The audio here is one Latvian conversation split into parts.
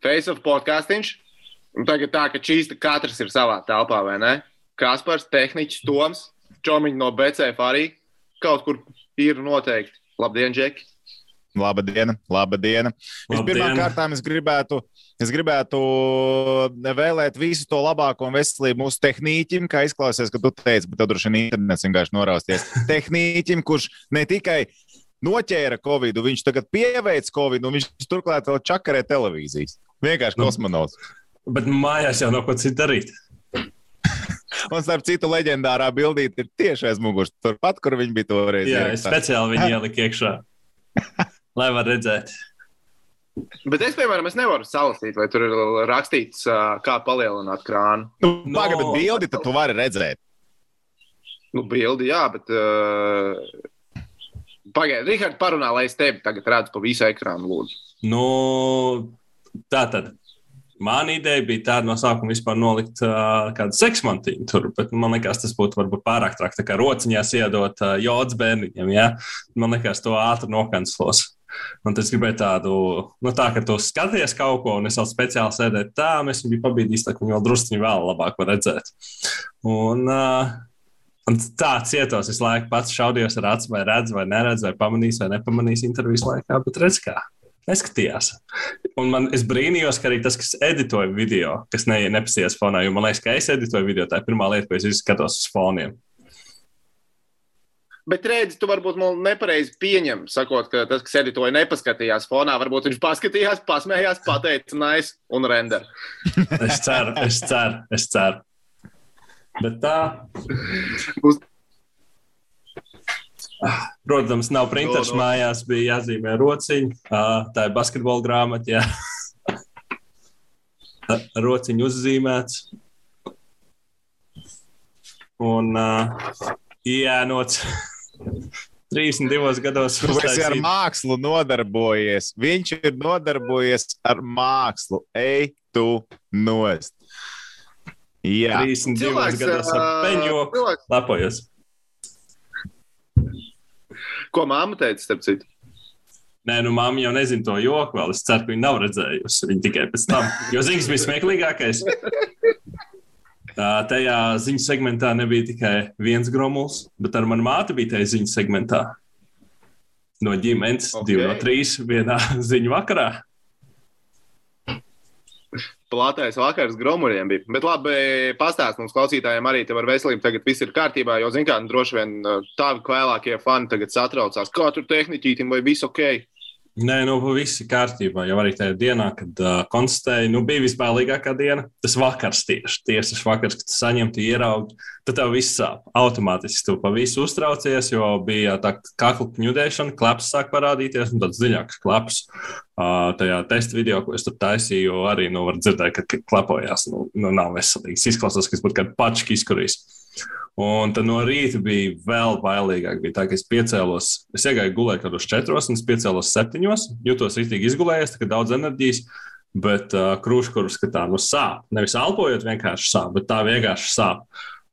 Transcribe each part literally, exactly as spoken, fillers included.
Face of podcastiņš. Un tagad tā, ka čīsta katrs ir savā telpā, vai ne? Kaspars, tehniķis, Toms, čomiņi no B C F arī kaut kur ir noteikti. Labdien, Džeki! Labdien, labdien. Vispirmām kārtām es gribētu, es gribētu vēlēt visu to labāko un veselību mūsu tehnīķim, kā izklausies, ka tu teici, bet tev droši vien internets vienkārši norausties. Tehnīķim, kurš ne tikai noķēra Covidu, viņš tagad pieveic Covidu un viņš turklāt vēl čakarē televīzijas. Vienkārši kosmonauts. Nu, bet mājās jau nav ko citu darīt. Un starp citu leģendārā bildīte ir tieši aiz muguras, turpat, kur viņi bija toreiz. Jā, es speciāli viņi ielika iekšā. Lai var redzēt. Bet es, piemēram, es nevaru salasīt, vai tur ir rakstīts, kā palielināt krānu. Nu, no, paga, bet bildi tad tu vari redzēt. Nu, bildi, jā, bet... Uh... Pagaid, Rihard, parunā, lai es tevi tagad redzu pa visu ekrānu, lūdzu. Nu, tā tad. Mana ideja bija tāda no sākuma vispār nolikt uh, kādu seksmantīnu tur, bet man liekas, tas būtu varbūt pārāk traki, tā kā rociņās iedot uh, jods bērniņiem, ja? Man liekas, to ātri nokanclos. Un es gribēju tādu, nu tā, ka tu skaties kaut ko, un es vēl speciāli sēdēju tā, mēs viņu bija pabīdījis, tā, ka viņu vēl drusciņi vēl labāk var redzēt. Un, uh, un tā cietos visu laiku pats šaudījos ar acu, vai redz, vai neredz, vai pamanīs, vai nepamanīs intervijas laikā, bet redz kā. Neskatījās. Un man, es brīnījos, ka arī tas, kas editoja video, kas ne, nepasījās fonā, jo man liekas, ka es editoju video, tā ir pirmā lieta, ko es izskatos uz foniem. Bet redzi, tu varbūt man nepareizi pieņem, sakot, ka tas, kas editoja, nepaskatījās fonā, varbūt viņš paskatījās, pasmējās, pateica nice un render. Es ceru, es ceru, es ceru. Bet tā... Uz... Protams, nav printers no, no. Mājās, bija jāzīmē rociņi. Tā ir basketbola grāmata, jā. Rociņi uzzīmēts. Un uh, iēnots trīsdesmit divos gados. Tu esi ar mākslu nodarbojies. Viņš ir nodarbojies ar mākslu. Ej tu nost. Jā. trīsdesmit divos gados ar peņoku lapojos. Ko māma teica, starp citu? Nē, nu māma jau nezina to joku vēl. Es ceru, ka viņa nav redzējusi viņu tikai pēc tam. Jo ziņas bija smieklīgākais. Tajā ziņu segmentā nebija tikai viens gromuls, bet ar manu māti bija tajā ziņu segmentā. No ģimenes, okay. Divi no trīs, vienā ziņu vakarā. Plātais vakars gromuriem bija. Bet labi, pastāst mums klausītājiem arī tev ar veselību tagad viss ir kārtībā, jo, zin kā, droši vien tavi kvēlākie fani tagad satraucās. Kā tur tehniķītim vai viss ok? Nē, nu, viss ir kārtībā. Jau arī tajā dienā, kad uh, konstatēju, nu, bija vispārīgākā diena. Tas vakars tieši, tieši tas vakars, kad tu saņem, tu ieraugi, tad tev viss sāp. Automātiski tu pa visu uztraucies, jo bija tā kakla kņudēšana, klaps sāk parādīties, un tāds dziļāks klaps. Uh, tajā testa video, ko es tur taisīju, arī, nu, var dzirdēt, ka klapojās. Nu, nu nav veselīgs. Izklausās, ka es būtu kādu pački izkurījis. Un tad no rīta bija vēl bailīgāk. Bija tā, ka es piecēlos, es iegāju gulēt kādos četros, un es piecēlos septiņos, jūtos rītīgi izgulējies, tā kā daudz enerģijas, bet uh, krūškurus, ka tā nu sāp. Nevis elpojot vienkārši sāp, bet tā vienkārši sāp.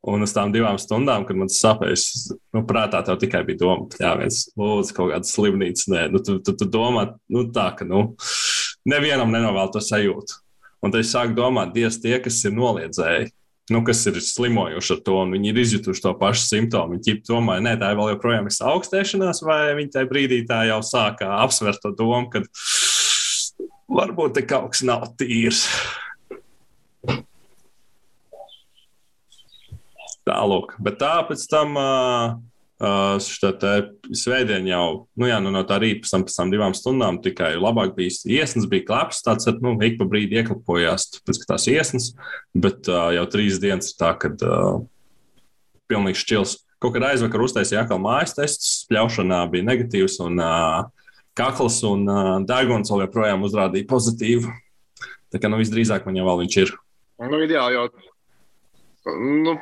Un uz tām divām stundām, kad man tas sāpēs, nu, prātā tev tikai bija doma, jā, viens lūdzu kaut kādas slimnīcas, nē, nu, tu, tu, tu domā, nu, tā, ka, nu, nevienam nenovēl to sajūtu. Un tad es sāku domāt, Dievs, tie, kas ir noliedzēji, nu, kas ir slimojuši ar to, un viņi ir izjutuši to pašu simptomu. Viņi domāja, nē, tā ir vēl joprojām ir augstēšanās, vai viņi tajā brīdī tā jau sāka apsvērt to domu, ka varbūt te kaut kas nav tīrs. Tālūk, bet tā pēc tam uh, uh, šitā svētdien jau, nu jā, nu no tā rīta pēc tam, pēc tam divām stundām tikai labāk bija iesnas, bija klaps, tāds, nu, ik pa brīdi ieklapojās pēc tās iesnas, bet uh, jau trīs dienas ir tā, kad uh, pilnīgi šķils. Kaut kad aizvakar uztaisīja atkal mājas testus, spļaušanā bija negatīvs un uh, kakls un uh, degons vēl joprojām uzrādīja pozitīvu. Tā kā, nu, visdrīzāk man jau vēl viņš ir. Nu, ideāli jau, nu,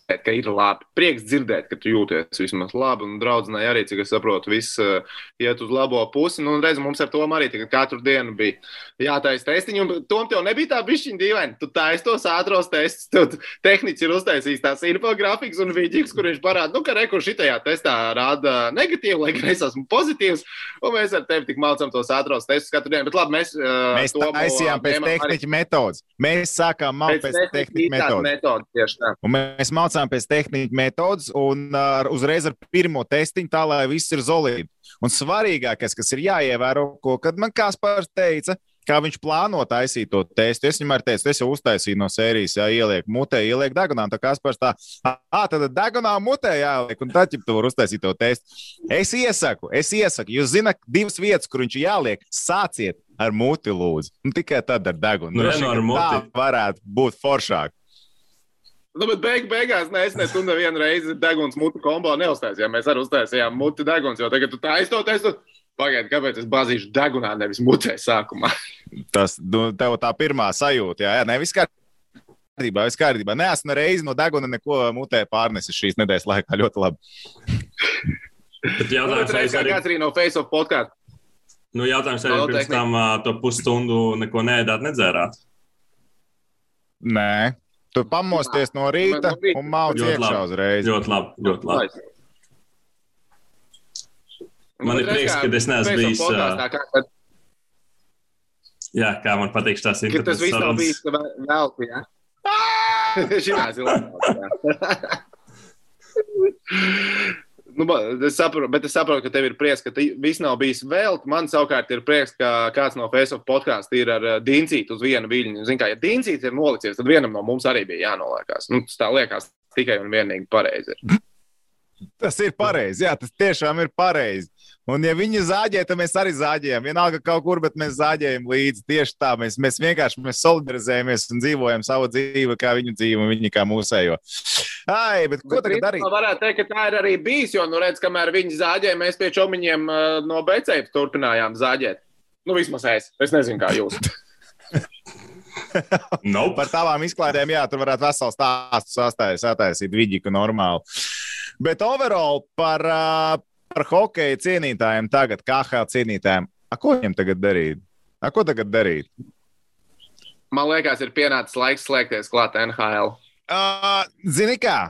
ka ir labi. Prieks dzirdēt, ka tu jūties vismaz labi. Un draudzenei arī, cik es saprotu, viss uh, iet uz labo pusi. Nu, un redz, mums ar Tomu arī tagad katru dienu bija jātaisa testiņi. Un Tom, tev nebija tā bišķiņa dīvaini. Tu taisi tos ātros testus. Tev tehniķis ir uztaisījis tās infografikas un vidīgs, kur viņš parāda, nu, ka rekur šitajā testā rāda negatīvu, lai gan es esmu pozitīvs. Un mēs ar tevi tik mācām tos ātros testus katru dienu. Bet labi, mēs... Uh, mēs taisījām pēc tehniķa metodas. Mēs sākām mācīt pēc, pēc tehniķa metodas. metodas un mēs mācām pēc tehniķa metodas un uh, uzreiz ar pirmo testiņu tā, lai viss ir zolīdi. Un svarīgākais, kas ir jāievēro, ko, kad man Kaspars teica, kā viņš plāno taisīt to testu. Es viņam arī teicu, es jau uztaisīju no sērijas, jā, ieliek mutē, ieliek degunā, tā Kaspars tā, ā, tad degunā mutē jāieliek, un tad, ja tu var uztaisīt to testu. Es iesaku, es iesaku, jūs zināt divas vietas, kur viņš jāliek, sāciet ar muti lūdzu, un tikai tad ar degunu. Nu, Droši, ar muti. Tā varētu būt foršāk. Nu, bet beig, beigās ne, es ne tu nevienu reizi deguns muti kombo neuztaisījām. Mēs arī uztaisījām muti deguns, jo tagad tu taisi to testu. Pagaid, kāpēc es bazīšu degunā, nevis mutē sākumā? Tas, nu, tev tā pirmā sajūta, jā, jā, ne, viss kārtībā, viss kārtībā. Ne, esmu reizi no deguna neko mutē pārnesis šīs nedēļas laikā ļoti labi. Bet jautājums, nu, reiz, kā kāds arī no Face of podcast. Nu, jautājums arī no, pirms tehnika. Tam uh, to pusstundu neko neēdāt, nedzērāt? Nē. Tu pamosties no rīta un mauc iekšā uzreiz. Ļoti labi, ļoti labi. Man ir prieks, ka es neesmu bijis... Podkāstā, kā, kad... Jā, kā man patīk tās internetas. Ka tas viss nav bijis velti, jā? Šinās ir labi, jā. Nu, es saprotu, bet es saprotu, ka tev ir prieks, ka viss nav bijis velti. Man savukārt ir prieks, ka kāds no Face of podcastu ir ar Dincītu uz vienu viļņu. Zin kā, ja Dincīts ir nolicies, tad vienam no mums arī bija jānoliekās. Nu, tas tā liekas tikai un vienīgi pareizi. Tas ir pareizi, jā, tas tiešām ir pareizi. Un ja viņi zāģē, tad mēs arī zāģējam. Vienalga kaut kur, bet mēs zāģējam līdzi. Tieši tā, mēs, mēs vienkārši mēs solidarizējamies un dzīvojam savu dzīvi, kā viņu dzīvi un viņi kā mūsējo. Ai, bet ko bet tagad darīt? Varētu teikt, ka tā ir arī bijis, jo, nu redz, kamēr viņi zāģēja, mēs pie čomiņiem uh, no Becējas turpinājām zāģēt. Nu, vismaz es. Es nezinu, kā jūs. Nope. Par tavām izklaidēm, jā, tur varētu vesels stāstu sastājas, attaisīt viģiku normāli. Bet overall par... Uh, Par hokeja cienītājiem tagad, K H L cienītājiem. A, ko viņam tagad darīt? A, ko tagad darīt? Man liekas, ir pienācis laiks slēgties klāt N H L. Uh, zini kā?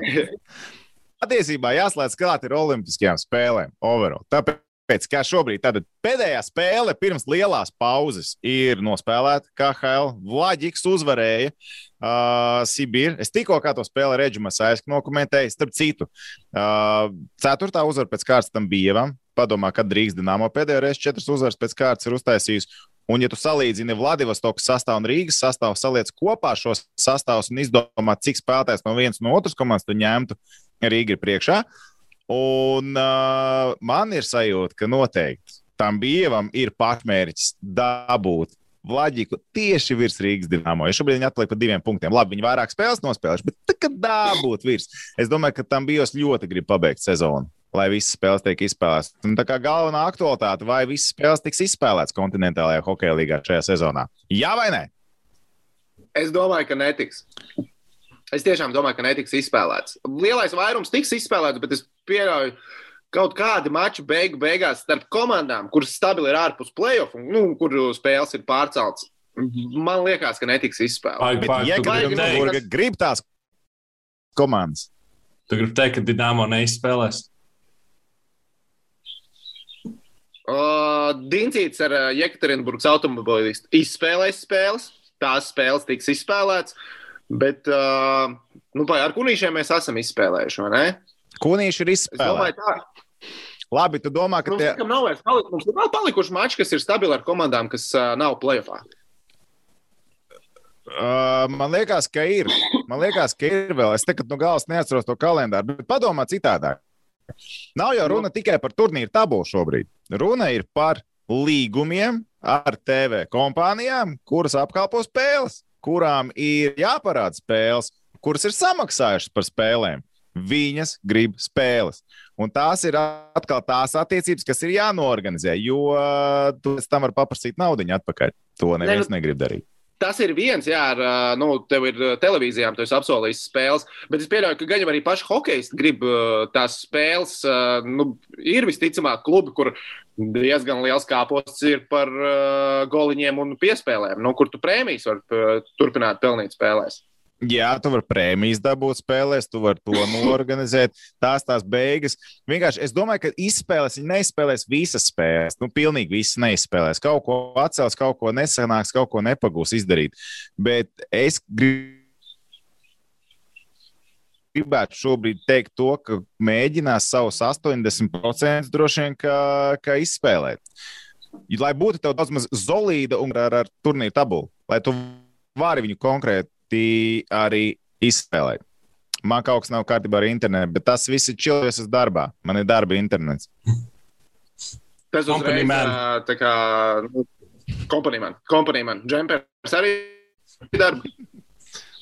Patiesībā jāslēdz klāt ir olimpiskajām spēlēm overall. Tāpēc, kā šobrīd, tātad pēdējā spēle pirms lielās pauzes ir nospēlēta K H L. Vlaģiks uzvarēja. Uh, Sibīra. Es tikko kā to spēli Reģimas aizsku nokomentēju. Starp citu, uh, ceturtā uzvara pēc kārtas tam Bievam. Padomā, kad Rīgas Dinamo pēdējo reizi četras uzvaras pēc kārtas ir uztaisījis. Un ja tu salīdzini Vladivostokas sastāvu un Rīgas sastāvu, saliec kopā šos sastāvus un izdomā, cik spēlētājs no vienas no otras komandas tu ņemtu, Rīga ir priekšā. Un uh, man ir sajūta, ka noteikti tam Bievam ir pašmērķis dabūt Vlaģiku tieši virs Rīgas Dinamo. Ja šobrīd viņi atpaliek par diviem punktiem. Labi, viņi vairāk spēles nospēlējuši, bet tā, kad dabūt virs. Es domāju, ka tam bijos ļoti grib pabeigt sezonu, lai visas spēles tiek izspēlētas. Un tā kā galvenā aktualitāte, vai visas spēles tiks izspēlētas kontinentālajā hokeja līgā šajā sezonā? Jā vai nē? Es domāju, ka netiks. Es tiešām domāju, ka netiks izspēlēts. Lielais vairums tiks izspēlēts, bet es pieļauju, kaut kādi mači beigu beigās starp komandām, kuras stabili ir ārpus play-off, un nu, kur spēles ir pārceltas. Man liekas, ka netiks izspēlēts. Ja grib, grib tās komandas. Tu gribi teikt, ka Dinamo neizspēlēs? Uh, Dincīts ar uh, Jekaterinburgas automobilistu izspēlēs spēles. Tās spēles tiks izspēlēts. Bet uh, nu, ar Kunīšiem mēs esam izspēlējuši, vai ne? Kunīši ir izspēlēti. Labi, tu domā, ka mums, tie... nav vairs paliku, mums ir vēl palikuši mači, kas ir stabili ar komandām, kas uh, nav play-offā. Uh, man liekas, ka ir. Man liekas, ka ir vēl. Es tagad no galvas neatceros to kalendāru, bet padomā citādāk. Nav jau runa tikai par turnīru tabulu šobrīd. Runa ir par līgumiem ar T V kompānijām, kuras apkalpo spēles, kurām ir jāparāda spēles, kuras ir samaksājušas par spēlēm. Viņas grib spēles. Un tās ir atkal tās attiecības, kas ir jānoorganizē, jo tu pēc tam var paprasīt naudiņu atpakaļ. To neviens ne, negrib darīt. Tas ir viens, jā, ar, nu, tev ir televīzijām, tu esi apsolījis spēles, bet es pieļauju, ka gan jau arī paši hokeisti grib tās spēles, nu, ir visticamāk klubi, kur diezgan liels kāposts ir par uh, goliņiem un piespēlēm, nu, kur tu prēmijas var uh, turpināt pelnīt spēlēs. Jā, tu vari prēmijas dabūt spēlēs, tu vari to norganizēt. Tās tās beigas. Vienkārši es domāju, ka izspēlēs, viņi neizspēlēs visas spēles. Nu, pilnīgi visas neizspēlēs. Kaut ko atcels, kaut ko nesanāks, kaut ko nepagūs izdarīt. Bet es gribētu šobrīd teikt to, ka mēģinās savus astoņdesmit procentus droši vien, ka, ka izspēlēt. Lai būtu tev daudz maz solīda un ar, ar turnīru tabulu. Lai tu vari viņu konkrēti arī izspēlēt. Man kaut kas nav kārtībā ar internetu, bet tas viss ir čilvies uz darbā. Man ir darba internets. Tas uzreiz tā kā nu, kompanīman. Kompanīman. Džempers arī darba.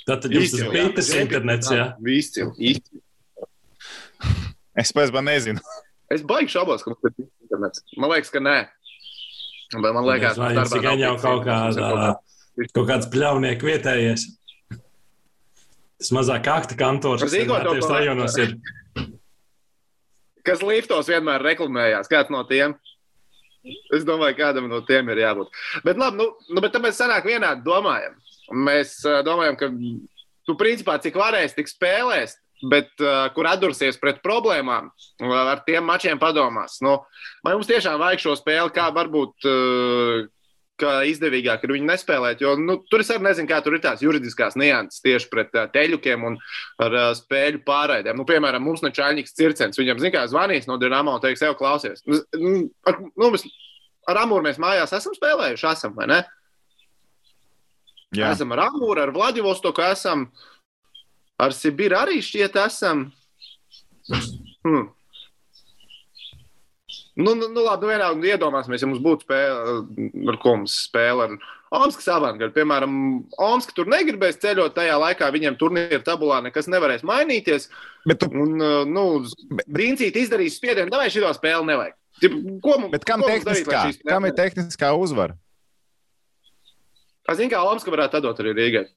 Tātad jums tas bija tas internets, jā? Izcil, izcil. Es pēc man nezinu. Es baigi šaubos, ka mums ir internets. Man liekas, ka nē. Bet man liekas, ka darbā nav jau kaut kāda, kaut kāds pļaunieku vietējies. Tas mazāk akta kantors, kas vienmēr rajonos ir. Kas liftos vienmēr reklamējās, kāds no tiem. Es domāju, kādam no tiem ir jābūt. Bet labi, nu, nu bet tāpēc sanāk vienādi domājam. Mēs uh, domājam, ka tu principā cik varēs, tik spēlēs, bet uh, kur atdursies pret problēmām, ar tiem mačiem padomās. Nu, vai mums tiešām vajag šo spēli, kā varbūt uh, ka izdevīgāk ir viņu nespēlēt, jo nu, tur es arī nezinu, kā tur ir tās juridiskās nianses tieši pret uh, teļukiem un ar uh, spēļu pārraidēm. Nu, piemēram, mums ne Čaļņiks Circens, viņam, zin kā, zvanīs no Dinamo un teiks, ev, klausies. Nu, ar, nu, mēs, ar Amūru mēs mājās esam spēlējuši, esam, vai ne? Jā. Esam ar Amūru, ar Vladivostoku esam, ar Sibiru arī šķiet esam. Hmm. Nu, nu, nu labi, nu vienalga iedomāsimies, ja mums būtu spēle, ar ko mums spēle ar Omskas avantgardu. Piemēram, Omska tur negribēs ceļot tajā laikā, viņiem turnīra tabulā nekas nevarēs mainīties. Bet tu... Un, nu, Brīncīt izdarīs spiedienu, davai šito spēli nevajag. Ko, Bet kam, ko tehniskā, darīt, kam ir tehniskā uzvara? Es zinu, kā Omska varētu atdot arī Rīgai.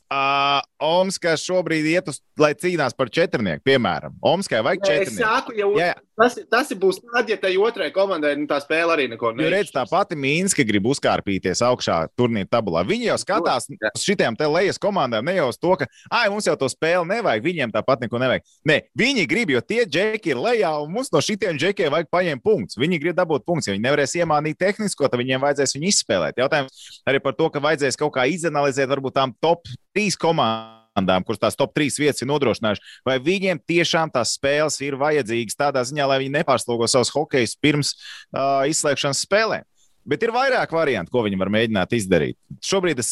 Uh, Omskā šobrīd iet uz, lai cīnās par četrnieku, piemēram. Omskai vajag četrnieku. Es saku, ja jā, jā. Tas, tas būs tad, ja tai otrai komandai nu, tā spēle arī neko neizšķir. Jo redz, tā pati Mīnska grib uzkārpīties augšā turnīra tabulā. Viņi jau skatās uz šitiem te lejas komandām, ne jau uz to, ka ai, mums jau to spēli nevajag, viņiem tāpat neko nevajag. Nē, viņi grib, jo tie džeki ir lejā un mums no šitiem džekiem vajag paņemt punktus. Viņi grib dabūt punktus, ja viņi nevarēs iemānīt tehnisko, tad viņiem vajadzēs viņu izspēlēt. Jautājums arī par to, ka vajadzēs kaut kā izanalizēt varbūt tām top trīs komandām, kuras tās top trīs vietas ir nodrošinājuši, vai viņiem tiešām tās spēles ir vajadzīgas tādā ziņā, lai viņi nepārslogo savus hokejus pirms uh, izslēgšanas spēlēm. Bet ir vairāk variantu, ko viņi var mēģināt izdarīt. Šobrīd, es,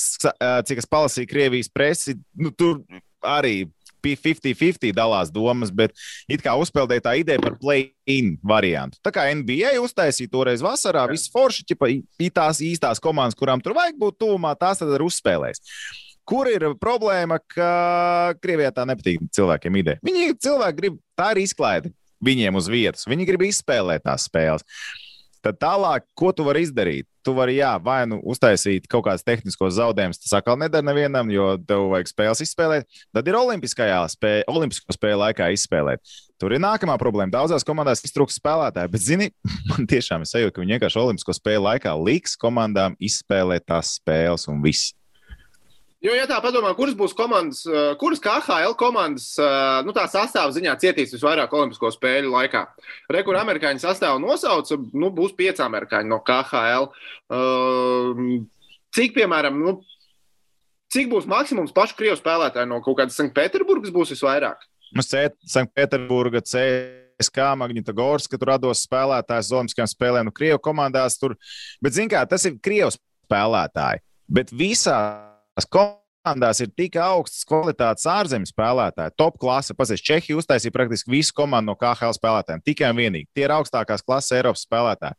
cik es palasīju Krievijas presi, nu, tur arī fifty fifty dalās domas, bet it kā uzpeldēja tā ideja par play-in variantu. Tā kā N B A uztaisīja toreiz vasarā, viss forši, ķipa, tās īstās komandas, kurām tur vajag būt tuvumā, tās tad arī uzspēlēs. Kur ir problēma, ka Krievijā tā nepatīk cilvēkiem ideja? Viņi cilvēki grib, tā ir izklaide viņiem uz vietas. Viņi grib izspēlēt tās spēles. Tad tālāk, ko tu vari izdarīt? Tu vari, jā, vai nu uztaisīt kaut kāds tehniskos zaudējumus, tas atkal nedara nevienam, jo tev vajag spēles izspēlēt. Tad ir olimpiskajā spēle, olimpisko spēle laikā izspēlēt. Tur ir nākamā problēma. Daudzās komandās iztrūks spēlētāji, bet, zini, man tiešām ir sajūta, ka viņi vienkārši olimpisko spēle laikā liks komandām izspēlēt tās spēles un viss. Jo, ja tā padomā, kuras būs komandas, kuras K H L komandas, nu tā sastāva ziņā cietīs visvairāk olimpisko spēļu laikā. Re, kur amerikāņu sastāvu nosauca, nu, būs pieci amerikāņi no K H L. Cik, piemēram, nu, cik būs maksimums pašu krievu spēlētāju no kaut kādas Sanktpēterburgas būs visvairāk? Mums C, Sanktpēterburga, C S K, Magnitogorska, tur rados spēlētājs olimpiskajām spēlēm, nu, krievu komandās tur. Bet, zin kā, tas ir krievu spēlētāji. Bet visā komandās ir tik augsts kvalitātes ārzemju spēlētāji, top klase. Pasies, Čehija uztaisīja praktiski visu komandu no K H L spēlētājiem, tikai un vienīgi. Tie ir augstākās klases Eiropas spēlētāji.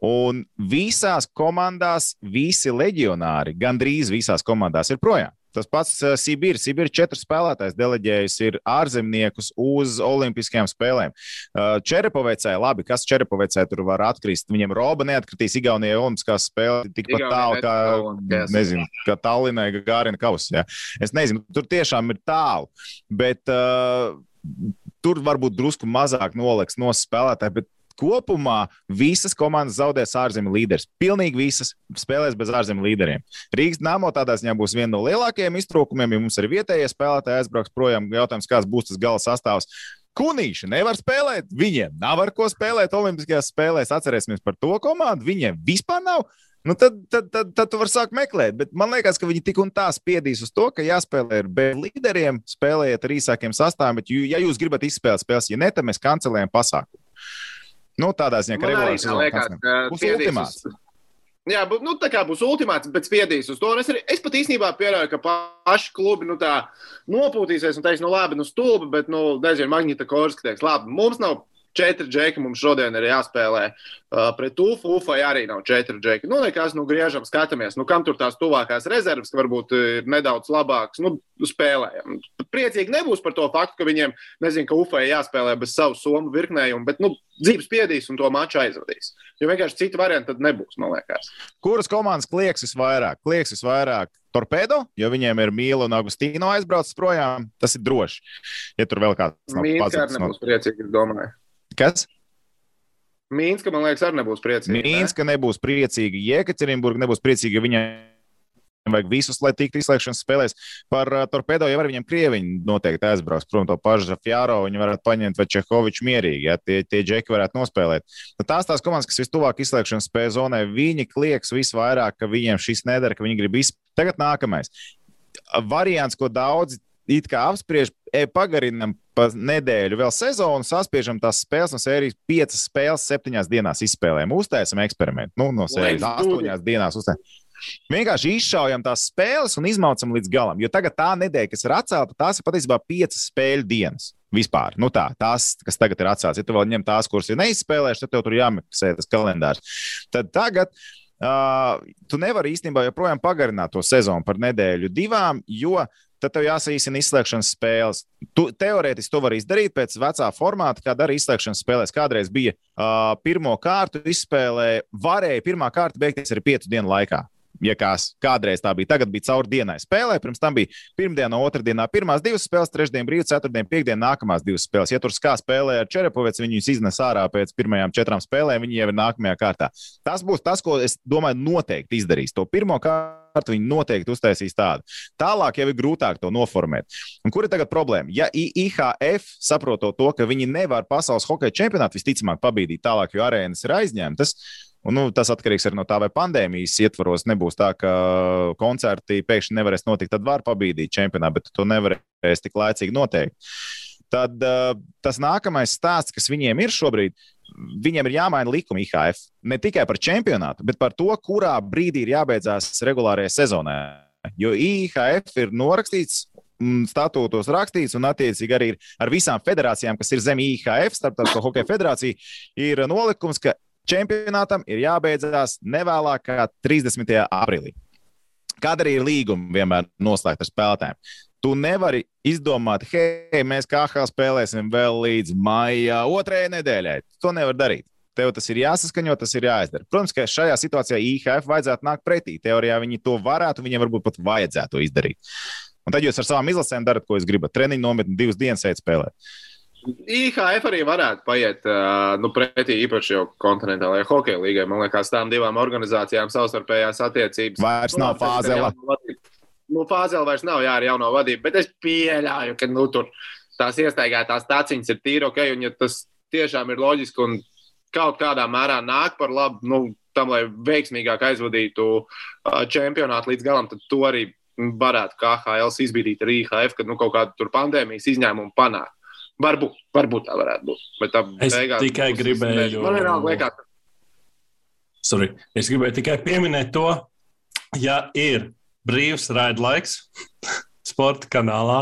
Un visās komandās, visi leģionāri, gandrīz visās komandās ir projām. Tas pats uh, Sibīrs. Sibīrs četri spēlētājs deleģējis ir ārzemniekus uz olimpiskajām spēlēm. Uh, Čerepovecē, labi, kas Čerepovecē tur var atkrist? Viņam Roba neatkritīs Igaunijai olimpiskās spēles tikpat tālu, kā, nezinu, kā Tallinai Gārina Kaus. Ja? Es nezinu, tur tiešām ir tālu, bet uh, tur varbūt drusku mazāk noliks no spēlētāji, bet kopumā visas komandas zaudēs ārzemju līderis. Pilnīgi visas spēlēs bez ārzemju līderiem. Rīgas Dynamo tādā ziņā būs viena no lielākajiem iztrūkumiem, ja mums ir vietējie spēlētāji aizbrauks projām. Jautājums, kāds būs tas gala sastāvs. Kunīši nevar spēlēt, viņiem nav ar ko spēlēt olimpiskajās spēlēs. Atcerēsimies par to komandu, viņiem vispār nav. Nu, tad, tad, tad, tad tu vari sākt meklēt, bet man liekas, ka viņi tik un tā spiedīs uz to, ka jāspēlē ar bez līderiem, spēlējiet ar īsākiem sastāviem, bet ja jūs gribat izspēlēt spēles, ja ne, tad mēs kancelējam pasākumu. Nu, tādā ziņā, ka regulārs sezona būs ultimāts. Uz, jā, bū, nu, tā kā būs ultimāts, bet spiedīs uz to. Un es, arī, es pat īstenībā pieļauju, ka paši klubi nu, tā nopūtīsies un teiks, nu labi, nu stulbi, bet, nu, nezinu, Magnita Korska teiks, labi, mums nav četri džeki, mums šodien ir jāspēlē uh, pret Ufu. Ufai arī nav četri džeki. Nu, nekas, nu, griežam, skatāmies, nu, kam tur tās tuvākās rezerves, ka varbūt ir nedaudz labāks, nu, spēlējam. Priecīgi nebūs par to faktu, ka viņiem, nezinu, ka Ufai jāspēlē bez savu somu virknējumu, bet, nu, dzīves spiedīs un to maču aizvadīs. Jo vienkārši citu variantu tad nebūs, man liekas. Kuras komandas klieks visvairāk? Klieks visvairāk Torpedo, jo viņiem ir Mīla un Agustīno aizbraucis projām. Tas ir droši. Ja tur vēl kāds nav pazudis. Mīnska arī nebūs priecīgi, es domāju. Kas? Mīnska, man liekas, arī nebūs priecīgi. Mīnska ne? nebūs priecīgi. Jekaterinburga nebūs priecīgi, jo viņai vajag visus, lai tiktu izslēgšanas spēlēs. Par uh, Torpedo jau var viņam Krieviņi noteikti aizbrauks. Protams, to pašu Zafjāro viņi varētu paņemt vai Čehoviču mierīgi, ja tie, tie džeki varētu nospēlēt. Tad tās tās komandas, kas vistuvāk izslēgšanas spēles zonai, viņi klieks visvairāk, ka viņiem šis nedara, ka viņi grib izspēlēt. Tagad nākamais. Variants, ko daudzi it kā apspriež, e, pagarinam pa nedēļu vēl sezonu, saspiežam tās spēles no sērijas piecas spēles septiņās dienās izspēlējam. Uztaisam eksperimentu. Nu, no sērijas astoņās dienās uztaisam. Vienkārši izšaujam tās spēles un izmaucam līdz galam. Jo tagad tā nedēļa, kas ir atcelta, tās ir patiesībā piecas spēļu dienas vispār. Nu tā, tās, kas tagad ir atceltas. Ja tu vēl ņem tās, kuras ir neizspēlējušas, tad tev tur jāmeklē tas kalendārs. Tad tagad uh, tu nevari īstenībā joprojām pagarināt to sezonu par nedēļu divām, jo tad tev jāsaīsina izslēgšanas spēles. Tu, teorētiski to var izdarīt pēc vecā formāta, kā dara izslēgšanas spēlēs. Kādreiz bija uh, pirmo kārtu izspēlē, varēja pirmā kārta beigties arī piecu dienu laikā. Ja kās, kādreiz tā bija, tagad bija caur dienai spēlē, pirms tam bija pirmdiena, otrdienā pirmās divas spēles, trešdien brīvs, ceturtdien, piekdien nākamās divas spēles. Ja tur skā spēlē ar Čerepoveci, viņus iznes ārā pēc pirmajām četrām spēlēm, viņi jau ir nākamajā kārtā. Tas būs tas, ko es domāju noteikti izdarīs. To pirmo kārtu viņi noteikti uztaisīs tādu. Tālāk jau ir grūtāk to noformēt. Un kur ir tagad problēma? Ja I H F saprotot to, ka viņi nevar pasaules hokeja čempionātu visticamāk pabīdīt tālāk, jo arēnas ir aizņemtas, un, nu, tas atkarīgs arī no tā, vai pandēmijas ietvaros nebūs tā, ka koncerti pēkšņi nevarēs notikt, tad var pabīdīt čempionātu, bet to nevarēs tik laicīgi noteikt. Tad uh, tas nākamais stāsts, kas viņiem ir šobrīd, viņiem ir jāmaina likuma I H F. Ne tikai par čempionātu, bet par to, kurā brīdī ir jābeidzās regulārajai sezonai. Jo I H F ir norakstīts, statūtos rakstīts, un attiecīgi arī ar visām federācijām, kas ir zem I H F, Starptautisko hokeja federācija, ir nolikums, ka čempionātam ir jābeidzās nevēlāk kā trīsdesmitajā aprīlī. Kāda arī ir līguma vienmēr noslēgt ar spēlētājiem. Tu nevari izdomāt, hei, mēs K H spēlēsim vēl līdz maija otrajai nedēļai. To nevar darīt. Tev tas ir jāsaskaņo, tas ir jāizdara. Protams, ka šajā situācijā I H F vajadzētu nākt pretī. Teorijā viņi to varētu, viņiem varbūt pat vajadzētu to izdarīt. Un tad jūs ar savām izlasēm darat, ko jūs gribat. Treniņu nometni divas dienas eit spēlēt. I H F arī varētu paiet uh, nu, pretī īpaši jau kontinentālajai hokeja līgai. Man liekas, tām divām organizācijām savstarpējās attiecības. Vairs nu, nav Fāzela. Nu, Fāzela vairs nav, jā, ar jauno vadību, bet es pieļauju, ka nu, tur tās iestaigātās taciņas ir tīri ok, un ja tas tiešām ir loģiski un kaut kādā mērā nāk par labu, nu, tam, lai veiksmīgāk aizvadītu uh, čempionātu līdz galam, tad to arī varētu K H L izbīdīt ar I H F, kad nu, kaut kādu tur pandēmijas izņēmumu panāk. Varbūt, varbūt tā varētu būt. Bet tā es beigās, tikai būs, gribēju... Man vienalga liekas. Sorry. Es gribēju tikai pieminēt to, ja ir brīvs raidlaiks sporta kanālā,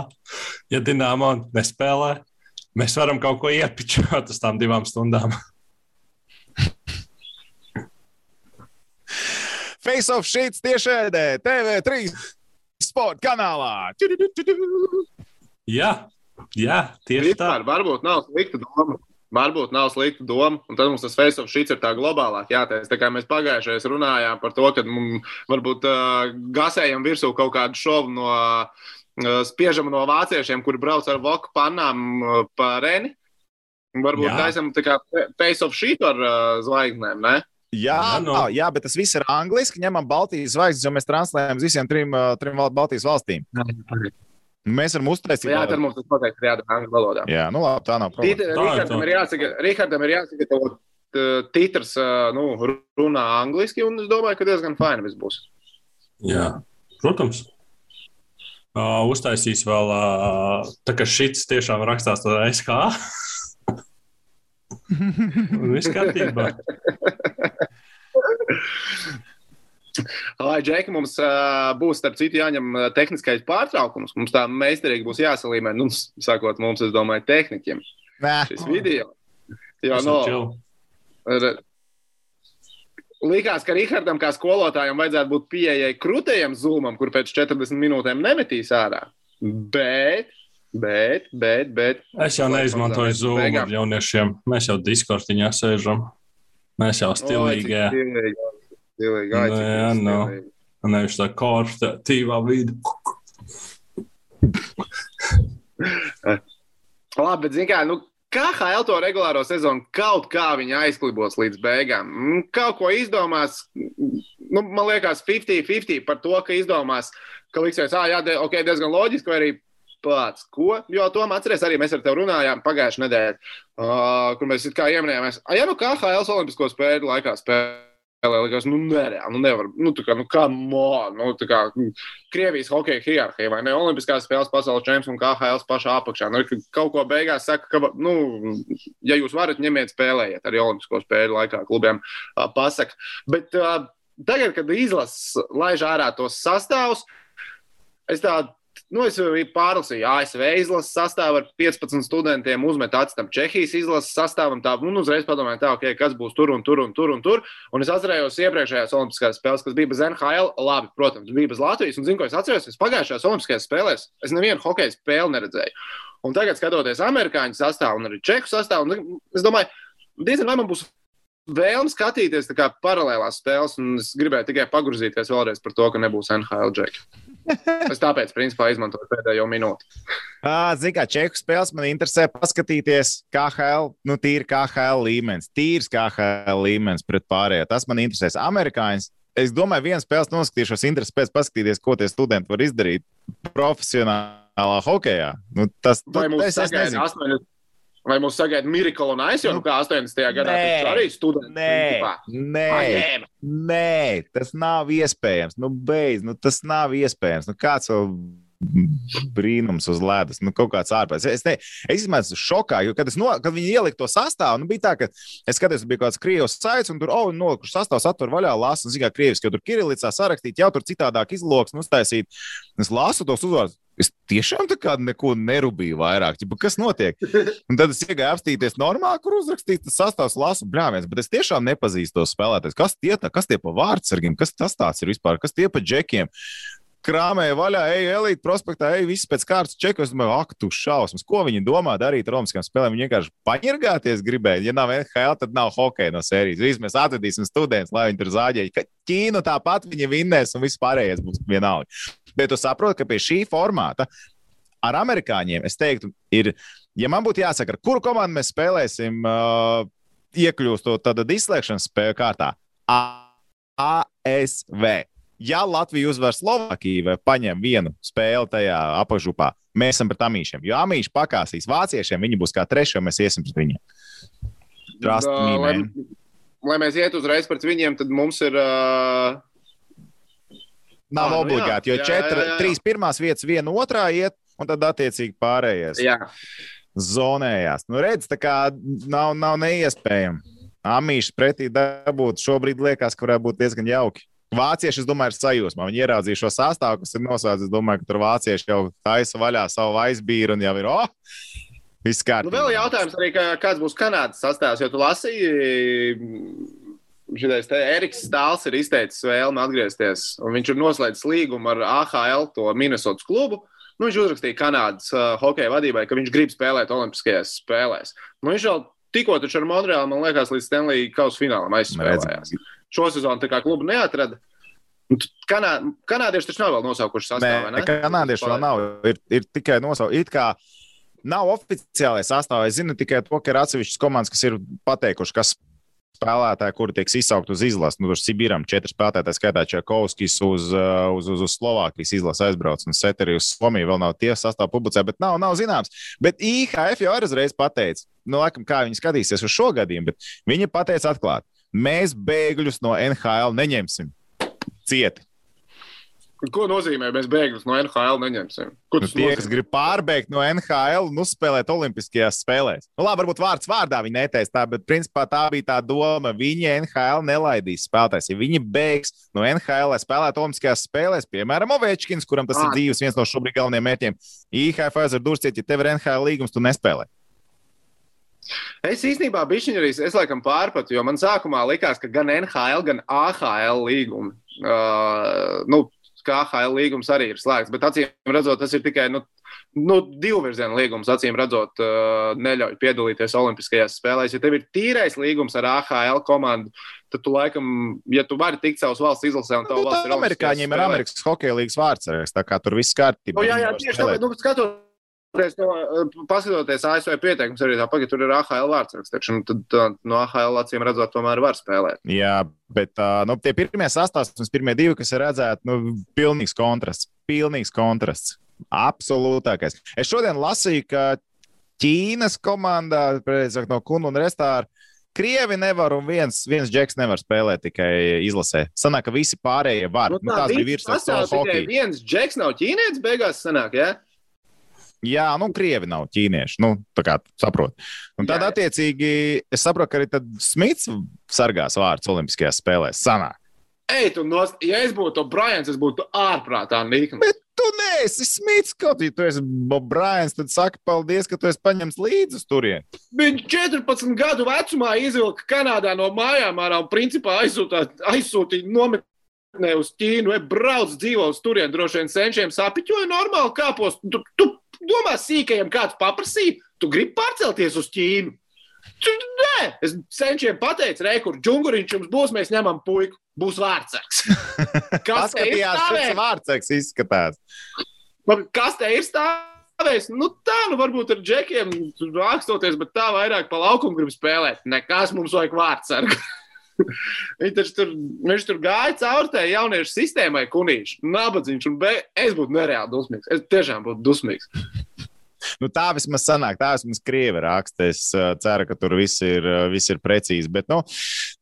ja Dinamo nespēlē, mēs varam kaut ko iepičot uz tām divām stundām. Face of Sheets tiešēdē, T V trīs sporta kanālā. Jā, jā, tieši tā. Vispār, varbūt nav slikta doma. Varbūt nav slikta doma, un tad mums tas Face of Sheets ir tā globālāk jātais. Tā kā mēs pagājušajās runājām par to, ka mums varbūt uh, gasējam virsū kaut kādu šovu no uh, spiežam no vāciešiem, kuri brauc ar voku pannām uh, pa Reni. Varbūt Jā. taisam tā kā Face of Sheet ar uh, zvaigznēm, ne? Jā, Jā, no. jā, bet tas viss ir angliski. Ņemam Baltijas zvaigznes, jo mēs translējam uz visiem trim, uh, trim Baltijas valstīm. Mēs varam uztaisīt. Jā, tad mums tas noteikti ir jādara angļu valodā. Jā, nu labi, tā nav problēma. Rihardam ir jāsaka, Rihardam ir jāsagatavo titrs, nu, runā angliski, un es domāju, ka diezgan fajni viss būs. Jā, protams. Uh, uztaisīs vēl, uh, tā kā šits tiešām rakstās tādā S K. Viss kārtībā. Lai, Džeki, mums uh, būs, starp citu, jāņem tehniskais pārtraukums. Mums tā meistarīgi būs jāsalīmē, nu, sakot, mums, es domāju, tehniķiem. Nē. Šis video. Jo, Tas no, ir chill. r- likās, ka Rihardam kā skolotājam vajadzētu būt pieejai krūtajam zūmam, kur pēc četrdesmit minūtēm nemetīs ārā. Bet, bet, bet, bet. Es jau neizmantoju Zoom ar jauniešiem. Mēs jau Discordiņā sēžam. Mēs jau stilīgajā. Stilīgi, Nu, jā, no. Nevis tā korporatīvā vidi. Labi, bet zini kā, nu, K H L to regulāro sezonu kaut kā viņi aizklibos līdz beigām. Mm, Kaut ko izdomās, nu, man liekas, piecdesmit piecdesmit par to, ka izdomās, ka liksies, ā, jā, de, ok, diezgan loģiski, vai arī pats, ko? Jo, Tom, atceries, arī mēs ar tevi runājām pagājušajā nedēļā, uh, kur mēs it kā ieminējāmies, a, ja nu K H L olimpisko spēļu laikā spēlē, likās, nu, nereāli, nu, nevar, nu, tā kā, nu, come on, nu, tā kā, Krievijas hokeja hierarhija, vai ne, olimpiskās spēles pasaules čempions un K H L pašā apakšā, nu, kaut ko beigās saka, ka, nu, ja jūs varat, ņemiet spēlējiet arī olimpisko spēļu laikā klubiem uh, pasaka, bet uh, tagad, kad izlases laiž ārā tos sastāvus, es tā, nu, es pārlasīju A S V izlases sastāvu ar piecpadsmit studentiem, uzmet atstam Čehijas izlases sastāvam, tā, un uzreiz padomāju, tā, ok, kas būs tur un tur un tur un tur, un es atcerējos iepriekšējās olimpiskās spēles, kas bija bez N H L, labi, protams, bija bez Latvijas, un zinu, ko es atceros, es pagājušajās olimpiskajās spēlēs, es nevienu hokeja spēli neredzēju, un tagad skatoties amerikāņu sastāvu un arī čehu sastāvu, un es domāju, diezgan vai man būs vēlme skatīties tā kā paralēlās spēles, un es gribēju tikai pagrūzīties vēlreiz par to, ka nebūs N H L džeki. Es tāpēc, principā, izmantoju pēdējo minūti. Zini, kā čehu spēles man interesē paskatīties K H L, nu tīri K H L līmenis, tīrs K H L līmenis pret pārējo. Tas man interesēs. Amerikāņus, es domāju, viens spēles noskatīšos interesi pēc paskatīties, ko tie studenti var izdarīt profesionālā hokejā. Nu, tas, Vai tu, mums es, es sagaida nezinu. astoņdesmit Vai mums sagaida Miracle un Ice, jo nu kā astoņdesmitajā gadā taču arī studenti. Nē, principā. nē, Paņēma. nē, tas nav iespējams. Nu, beidz, nu, tas nav iespējams. Nu, kāds vēl brīnums uz ledus, nu, kaut kāds ārpēc. Es, ne, es izmēju šokā, jo, kad, es no, kad viņi ielika to sastāvu, nu, bija tā, ka es skatījos, bija kaut kāds krievs saits, un tur, oh, nolikuši sastāvs, atver vaļā, lasu, un, zin kā, krieviski, jo tur Kirilicā sarakstīt, jau tur citādāk izloks, nu, uztaisīt. Es lasu tos uzvārdus. Es tiešām tā kā neko nerubīju vairāk. Ķipa, kas notiek? Un tad es iegāju apstīties normāli, kur uzrakstīts tas sastāvs, lasu bļāviens, bet es tiešām nepazīstu tos spēlētājus. Kas tie tā, kas tie pa vārdsargiem, kas tas tāds ir vispār, kas tie pa džekiem? Krāmēja vaļā, ej, elīt prospektā, ej, visi pēc kārtas čeku. Es domāju, ak, tu šausmas. Ko viņi domā darīt ar olimpiskām spēlēm? Viņi vienkārši paņirgāties gribēja. Ja nav N H L, tad nav hokeja no sērijas. Visi mēs atvedīsim studentus, lai viņi tur zāģēja. Ka Ķīnu tāpat viņi vinnēs un viss pārējais būs vienalga. Bet tu saproti, ka pie šī formāta ar amerikāņiem, es teiktu, ir, ja man būtu jāsaka, ar kuru komandu mēs spēlēsim, uh, iekļūstot tāda izslēgšanas spēļu kārtā, A S V. Ja Latvija uzvar Slovākiju vai paņem vienu spēli tajā apakšgrupā, mēs esam pret amīšiem. Jo amīši pakāsīs vāciešiem, viņi būs kā trešie, un mēs iesim pret viņiem. Trust Da, me, lai, man. lai mēs iet uzreiz pret viņiem, tad mums ir... Uh... Nav Ah, nu obligāti, jo jā, jā, četri, jā, jā. trīs pirmās vietas, viena otrā iet, un tad attiecīgi pārējais Jā. zonējās. Nu, redz, tā kā nav, nav neiespējami. Amīšs pretī dabūt šobrīd liekas, ka varētu būt diezgan jauki. Vācieši, es domāju, ir sajūsmā. Viņi ieraudzīja šo sastāvu, kas ir noslēdz. Es domāju, ka tur vācieši jau taisa vaļā savu aizbīru un jau ir, oh, viss kārtībā. Nu, vēl jautājums arī, ka, kāds būs Kanādas sastāvs, jo tu lasīji šitais te Eriks Stāls ir izteicis vēlmi atgriezties, un viņš ir noslēdzis līgumu ar A H L, to Minnesotas klubu. Nu, viņš uzrakstīja Kanādas uh, hokeja vadībai, ka viņš grib spēlēt olimpiskajās spēlēs. Nu, viņš jau tikko taču ar Montreālu, man liekas, līdz Stanley kausa finālam aizspēlējās. Šo sezonu tā kā klubu neatrada. Kanā, kanādieši taču nav vēl nosaukuši sastāvā, ne? Kanādieši vēl nav. Ir, ir tikai nosaukuši. It kā nav oficiālais sastāvā. Es zinu tikai to, ka ir atsevišķas komandas, kas ir pateikuši, kas spēlētāji, kuri tiek izsaukt uz izlases. Nu, tur Sibiram četri spēlētāji, skaitā Čakovskis uz, uz, uz, uz Slovākijas izlases aizbrauc, un Seteri uz Somiju vēl nav tie sastāv publicē, bet nav, nav zināms. Bet I H F jau reiz pateica, nu, laikam, kā viņi skatīsies uz šo gadījumu, bet viņi pateica atklāt, mēs bēgļus no N H L neņemsim cieti. Ko nozīmē, mēs bēgļus no N H L neņemsim? Ko tas nu, tie, nozīmē? kas grib pārbēgt no N H L un uzspēlēt olimpiskajās spēlēs. Nu, labi, varbūt vārds vārdā viņi neteica tā, bet principā tā bija tā doma. Viņi N H L nelaidīs spēlētājs. Ja viņi bēgs no N H L, lai spēlētu olimpiskajās spēlēs, piemēram, Ovečkins, kuram tas ir dzīves viens no šobrīd galvenajiem mērķiem, I H F aizver durciet, ja tev ir N H L līgums, tu nespēlē. Es īstenībā bišķiņ arī, es laikam pārpratu, jo man sākumā likās, ka gan N H L, gan A H L līgumi, uh, nu, ka A H L līgums arī ir slēgts, bet acīm redzot, tas ir tikai, nu, nu divu virzienu līgums, acīm redzot, uh, neļauj piedalīties olimpiskajās spēlēs. Ja tev ir tīrais līgums ar A H L komandu, tad tu laikam, ja tu vari tikt savas valsts izlasē un tavu nu, valsts ir olimpiskajās amerikāņiem ir Amerikas hokeja līgas vārds, tā kā tur viss kārtībā. Nu, jā, jā, tieši tā, nu, skatoties, no, paskatoties A S V pieteikums arī tā pagad, tur ir A H L vārdsraksts, un tad tā, no A H L acīm redzot, tomēr var spēlēt. Jā, bet nu, tie pirmie sastāvs, pirmie divi, kas ir redzēti, nu, pilnīgs kontrasts, pilnīgs kontrasts, absolūtākais. Es šodien lasīju, ka Ķīnas komandā, precīzāk no Kunu un Restāra, Krievi nevar un viens, viens džeks nevar spēlēt tikai izlasē. Sanāk, ka visi pārējie var. Nu, tā, nu, tās bija virsmas savu hokeju. Viens džeks nav ķīnietis beigās sanāk, jā? Ja? Jā, nu, Krievi nav ķīnieši, nu, tā kā saprot. Un tad, jā, jā. Attiecīgi, es saprotu, ka arī tad Smits sargās vārds olimpiskajās spēlēs. Sanāk. Ej, tu nost, ja es būtu Bryans, es būtu ārprātā nīknis. Bet tu neesi Smits, kaut ja tu esi Bryans, tad saki paldies, ka tu esi paņemts līdzi uz turien. Viņš četrpadsmit gadu vecumā izvilka Kanādā no mājām ārā un principā aizsūtīja nometnē uz Ķīnu, vai brauc dzīvo uz turien, droši vien senčiem sapiķoja normāli kāpos. Tu, tu domā sīkajiem kāds paprasīja, tu gribi pārcelties uz Ķīnu. Nē, es senčiem pateicu, re, kur džunguriņš jums būs, mēs ņemam puiku, būs vārdsargs. Kas te ir stāvējis? Vārdsargs izskatās. Kas te ir stāvējis? Nu tā, nu varbūt ar džekiem ākstoties, bet tā vairāk pa laukumu grib spēlēt. Nekas mums vajag vārdsargu. Viņš taču tur, viņš tur gāja caur tai jauniešu sistēmai kunīši, nabadzīņš, un be, es būtu nereāli dusmīgs. Es tiešām būtu dusmīgs. Nu, tā vismaz sanāk, tā vismaz Krievi raksta. Es uh, ceru, ka tur viss ir, uh, viss ir precīzi. Bet nu,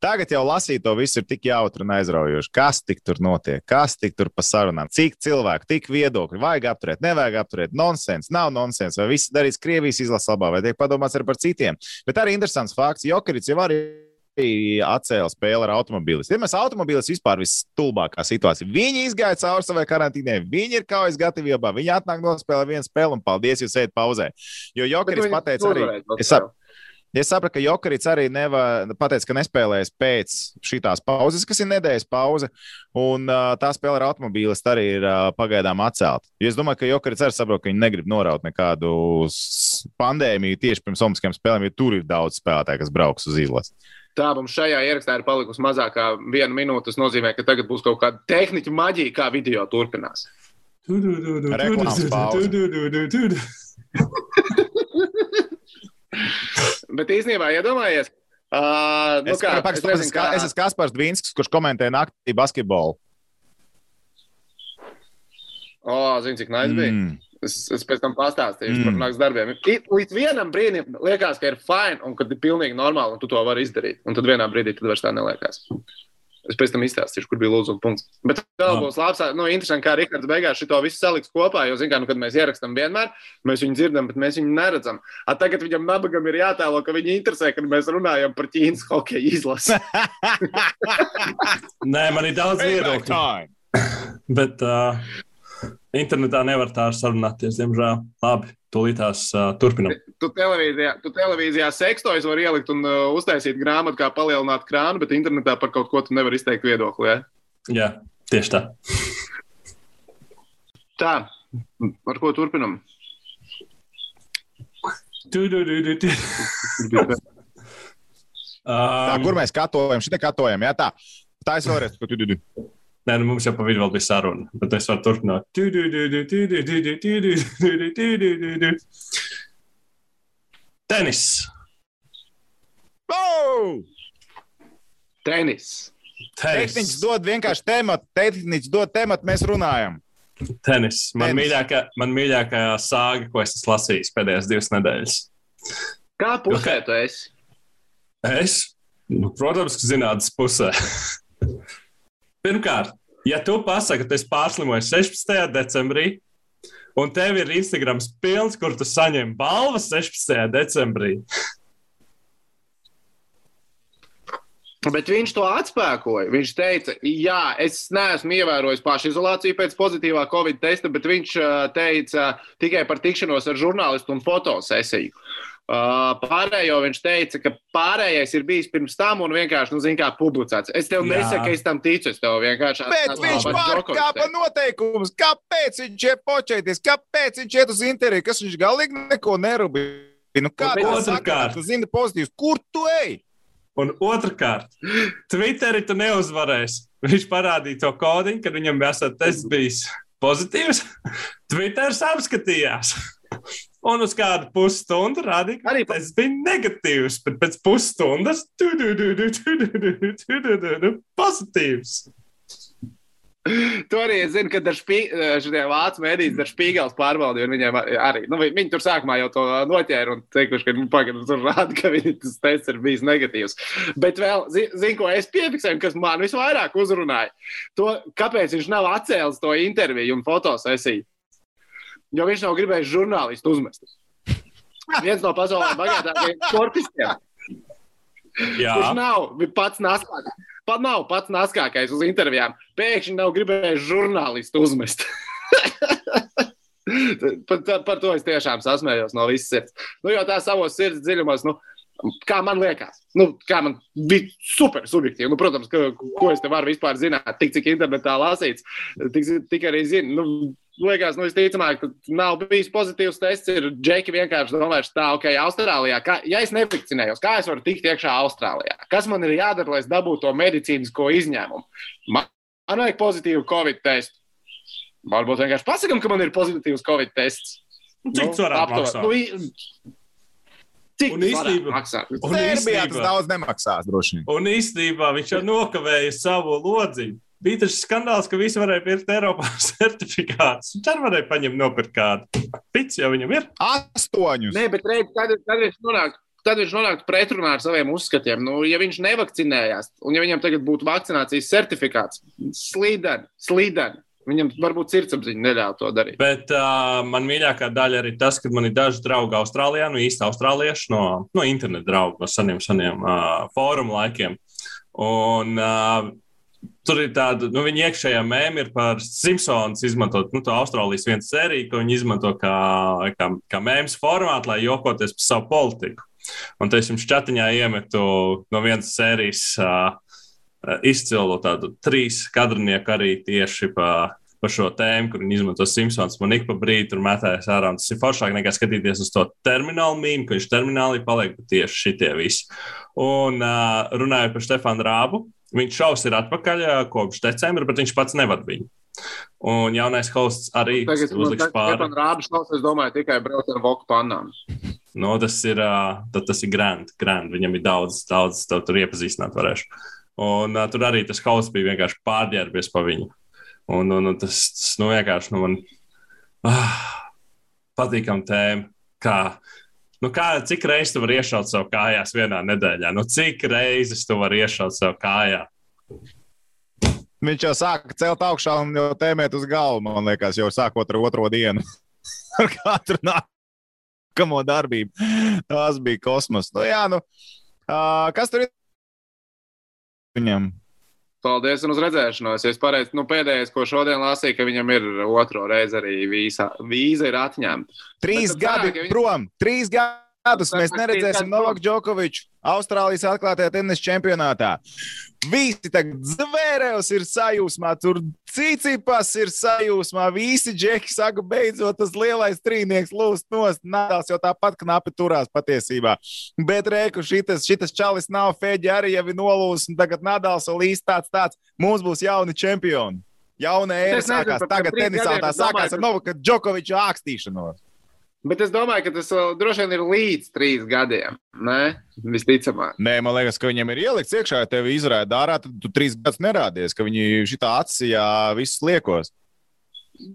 tagad jau lasīt to visu ir tik jautri un aizraujoši. Kas tik tur notiek? Kas tik tur pa sarunām? Cik cilvēku, tik viedokļi? Vajag apturēt, nevajag apturēt? Nonsens, nav nonsens. Vai viss darīts Krievijas izlases labā, vai tiek padomāts arī par citiem? Bet arī interesants fakts. Jokerits jau arī atcēla spēli ar automobīlis. Vienmēr automobīlis vispār visstulbākā situācija. Viņi izgāja cauri savai karantīnai, viņi ir kaujas gatavībā, viņi atnāk nospēlē vienu spēli un paldies, jūs ejat pauzē. Jo Jokerits pateica arī, es, sap, es sapratu, ka Jokerits arī neva, pateica, ka nespēlēs pēc šitās pauzes, kas ir nedēļas pauze, un uh, tā spēle ar automobīlis arī ir uh, pagaidām atcelta. Jo es domāju, ka Jokerits arī saprot, ka viņi negrib noraut nekādu pandēmiju tieši pirms olimpiskajām spēlēm, jo tur ir daudz spēlētāju, kas brauks uz izlasi. Tā mums šajā ierakstā ir palikusi mazākā viena minūte. Tas nozīmē, ka tagad būs kaut kāda tehniķa maģija, kā video turpinās. Reklāmas pauze. Bet īstenībā, iedomājies, uh, nu es, kā, paks, es nezinu, kā... Es esmu Kaspars Dvīnskis, kurš komentē naktī basketbolu. O, zini, cik nice bija. Mm. Es, es pēc tam pastāstīšu mm. par nakts darbiem. Līdz vienam brīdim liekas, ka ir fine un kad ir pilnīgi normāli un tu to vari izdarīt. Un tad vienā brīdī tad vairs tā neliekas. Es pēc tam izstāstīšu, kur bija lūzuma punkts. Bet vēl būs labs, nu, interesanti, kā Rihards beigās šito visu saliks kopā, jo, zin kā, nu, kad mēs ierakstam vienmēr, mēs viņu dzirdam, bet mēs viņu neredzam. A tagad viņam nabagam ir jātēlo, ka viņu interesē, kad mēs runājam par Ķīnas hokeja izlasi. Nē, man ir daudz viedokļu. Bet... Uh... Internetā nevar tā sarunāties, diemžēl. Labi, tūlītās uh, turpinam. Tu televīzijā, tu televīzijā sekstojas var ielikt un uh, uztaisīt grāmatu, kā palielināt krānu, bet internetā par kaut ko tu nevar izteikt viedokli, ja? Jā, tieši tā. Tā, ar ko turpinam? Tu, tu, tu, tu, tu. Tā, kur mēs katojam? Šitā katojam, jā, tā. Tā es vēlreiz. Tu, tu, tu. Nē, nu mums jau pa vidu vēl bija saruna, bet es varu turpināt. Tu, tu, tu, tu, tu, tu, tu, tu, tu, tu, tu, tu, tu. Tenis. Oh! Tenis. Tenis. Tehniķis dod vienkārši tematu, tehniķis dod tematu, mēs runājam. Tenis. Man Tenis. mīļākā, man mīļākā sāga, ko es esmu lasījis pēdējās divas nedēļas. Kā pusē tu esi? Es? Nu, protams, ka zinātnes pusē. Pirmkārt, ja tu pasaki, ka tu esi pārslimojis sešpadsmitajā decembrī, un tev ir Instagrams pilns, kur tu saņem balvas sešpadsmitajā decembrī. Bet viņš to atspēkoja. Viņš teica, jā, es neesmu ievērojis pašizolāciju pēc pozitīvā Covid testa, bet viņš teica tikai par tikšanos ar žurnālistu un fotosesiju. Pārējo viņš teica, ka pārējais ir bijis pirms tam un vienkārši, nu, zin kā, publicēts. Es tev Jā. nesaku, ka es tam ticu, es tev vienkārši... Bet viņš pārkāpa noteikumus. Kāpēc viņš iet počēties? Kāpēc viņš iet uz interviju? Kas viņš galīgi neko nerubīja? Nu, kā Bet tā otrkārt. saka, tu zini pozitīvs? Kur tu ej? Un otrkārt, Twitteri tu neuzvarēsi. Viņš parādīja to kodiņu, kad viņam esat tests bijis pozitīvs. Twitters apskatījās. Un uz kādu pusstundu rādīja, ka tas bija negatīvs, bet pēc pusstundas tu, tu, tu, tu, tu, tu, tu, tu, tu, tu, tu, pozitīvs. Tu arī zini, ka šitie vācu mēdīs dar Špīgels pārbaudīja, un viņiem arī, nu, viņi tur sākumā jau to noķēra un teikuši, ka viņi pagaidām tur rāda, ka viņi tas tests ir bijis negatīvs. Bet vēl, zini, ko es piefiksēju, kas man visvairāk uzrunāja, to, kāpēc viņš nav atcēlis to interviju un fotosesiju. Jo viņš nav gribējis žurnālistu uzmest. Viens no pasaulē bagātākajiem sportistiem. Jā. Kurš nav pats naskākais. Pat nav pats naskākais uz intervijām. Pēkšņi nav gribējis žurnālistu uzmest. par, par to es tiešām sasmējos no visas sirds. Nu, jo tā savos sirds dziļumos, nu, kā man liekas, nu, kā man bija super subjektīvi. Nu, protams, ka, ko es te varu vispār zināt, tik cik internetā lasīts, tik, tik arī zinu. Nu, liekas, nu, visticamāk, ka nav bijis pozitīvs tests, ir džeki vienkārši domājuši tā, ok, Austrālijā, kā, ja es nevakcinējos, kā es varu tikt iekšā Austrālijā? Kas man ir jādara, lai es dabūtu to medicīnisko izņēmumu? Man, man vajag pozitīvu Covid testu. Varbūt vienkārši pasakam, ka man ir pozitīvs Covid tests. Cik tas varētu maksāt? Nu, cik Un tas īstenībā- varētu maksāt? Un Serbijā tas īstenībā- daudz nemaksās, droši vien. Un īstenībā viņš jau nokavēja savu lodziņu. Bija tas skandāls, ka visi varēja pirkt Eiropā certifikātus. Viņš arī varēja paņemt nopirkt kādu. Pits jau viņam ir. Astoņus. Nē, bet reiz, tad, tad viņš nonāk. Tad viņš nonāktu pretrunā ar saviem uzskatiem. Nu, ja viņš nevakcinējās, un ja viņam tagad būtu vakcinācijas certifikāts, slīdeni, slīdeni, viņam varbūt sirdsapziņa neļauj to darīt. Bet uh, man mīļākā daļa ir tas, ka man ir daži draugi Austrālijā, no īsta austrālieši, no, no internetu draugu, no saniem, saniem uh, fórumu laikiem. Un uh, tur ir tāda, nu, viņa iekšējā mēma ir par Simpsons izmantot, nu, to Austrālijas viens sēriju, ko viņi izmanto kā, kā, kā mēmas formātu, lai jokoties par savu politiku. Un te es jums čatiņā iemetu no vienas sērijas uh, izcilu tādu trīs kadrinieku arī tieši pa, pa šo tēmu, kur viņi izmanto Simpsons. Man ik pa brīdi tur metējas ārā, un tas ir foršāk nekā skatīties uz to terminālu mīmu, ka viņš terminālī paliek tieši šitie visi. Un uh, runājot par Štefanu Rābu, viņš šaus ir atpakaļ kopš decembra, bet viņš pats nevad viņu. Un jaunais hosts arī Tagad uzliks pāri. man rābas šaus, es domāju, tikai brauc ar voku pannām. No, tas ir, uh, tas ir grand, grand. Viņam ir daudz, daudz tev tur iepazīstināt varēšu. Un uh, tur arī tas hosts bija vienkārši pārģērbies pa viņu. Un, un, un tas, tas, nu, vienkārši, nu, man ah, patīkam tēma, kā, nu, kā, cik reizes tu vari iešaut sev kājās vienā nedēļā? Nu, cik reizes tu vari iešaut sev kājā? Viņš jau sāka celt augšā un jau tēmēt uz galvu, man liekas, jau sākot ar otro dienu. Ar katru nākamo darbību. Tas bija kosmos. Nu, jā, nu, uh, kas tur ir viņam? Paldies un uz redzēšanos. Es pareizi, nu pēdējais, ko šodien lasīju, ka viņam ir otro reizi arī vīza, vīza ir atņemta. Trīs gadi viņi... prom, trīs gadus mēs neredzēsim Novaku Džokoviču Austrālijas atklātajā tenisa čempionātā. Visi tagad Zvērevs ir sajūsmā, tur Cicipas ir sajūsmā, visi džeki saka, beidzot tas lielais trīnieks lūst nost, Nadals jau tāpat knapi turās patiesībā. Bet reiku šitas, šitas čalis nav, Feģi arī jau ir nolūs, un tagad Nadals vēl īsti tāds tāds, mums būs jauni čempioni. Jauna ēra sākās, tagad tenisā tā sākās ar Novaku Džokoviču ākstīšanos. Bet es domāju, ka tas vēl droši vien ir līdz trīs gadiem, ne? Visticamāk. Nē, man liekas, ka viņam ir ielikts iekšā, ja tevi izrāda ārā, tad tu trīs gadus nerādies, ka viņi šitā atsijā visus liekos.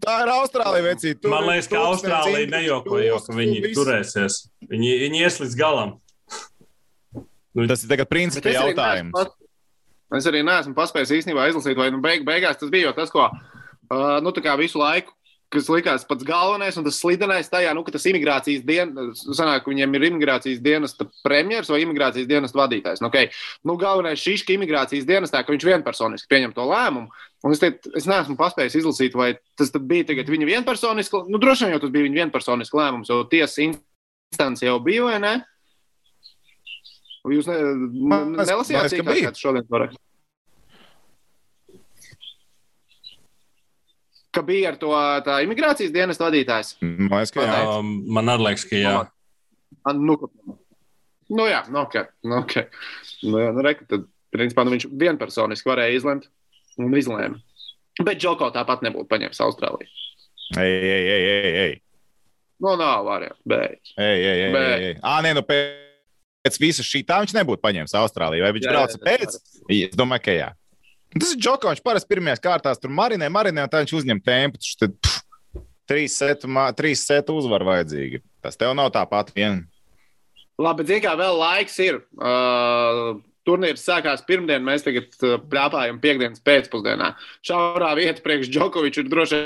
Tā ir Austrālija, vecī. Tur, man liekas, ka Austrālija nejokojo, ka viņi visu. turēsies. Viņi, viņi ies līdz galam. Tas ir tagad principi jautājums. Es, es arī neesmu paspējis īstenībā izlasīt, vai nu beig, beigās tas bija jau tas, ko, uh, nu tā kā visu laiku, kas likās pats galvenais un tas slidenais tajā, nu, ka tas imigrācijas dienas, sanāk, ka viņiem ir imigrācijas dienesta premjers vai imigrācijas dienesta vadītājs. Nu, okay. Nu, galvenais šis, ka imigrācijas dienestā, ka viņš vienpersoniski pieņem to lēmumu, un es, te, es neesmu paspējis izlasīt, vai tas tad bija tagad viņa vienpersoniski, nu, droši vien jau tas bija viņa vienpersoniski lēmums, jo tiesas instance jau bija, vai ne? Jūs ne, ne, nelasījāt cīkā, kā tas šodien varētu? Ka bija ar to tā imigrācijas dienas vadītājs? Man liekas, ka jā. Um, man arī liekas, ka jā. Nu, nu jā, nu ok. Nu, okay. Nu, jā, nu reku, tad, principā, nu, viņš vienpersoniski varēja izlemt un izlēma. Bet Džoko tāpat nebūtu paņēmis Austrāliju. Ei, ei, ei, ei, ei. Nu, nav variants, bet. Ei, ei, ei, bet... ei. Ā, nē, nu pēc visa šī tā viņš nebūtu paņēmis Austrāliju. Vai viņš brauca pēc? Es domāju, ka jā. Tas ir Džoko, viņš parasti pirmajās kārtās tur marinē, marinē, un tā viņš uzņem tempu. Tad pff, trīs setu, trīs setu uzvaru vajadzīgi. Tas tev nav tāpat vien. Labi, bet zin kā vēl laiks ir. Uh, turnīrs sākās pirmdien, mēs tagad uh, pļāpājam piekdienas pēcpusdienā. Šaurā vieta priekš Džokoviču ir droši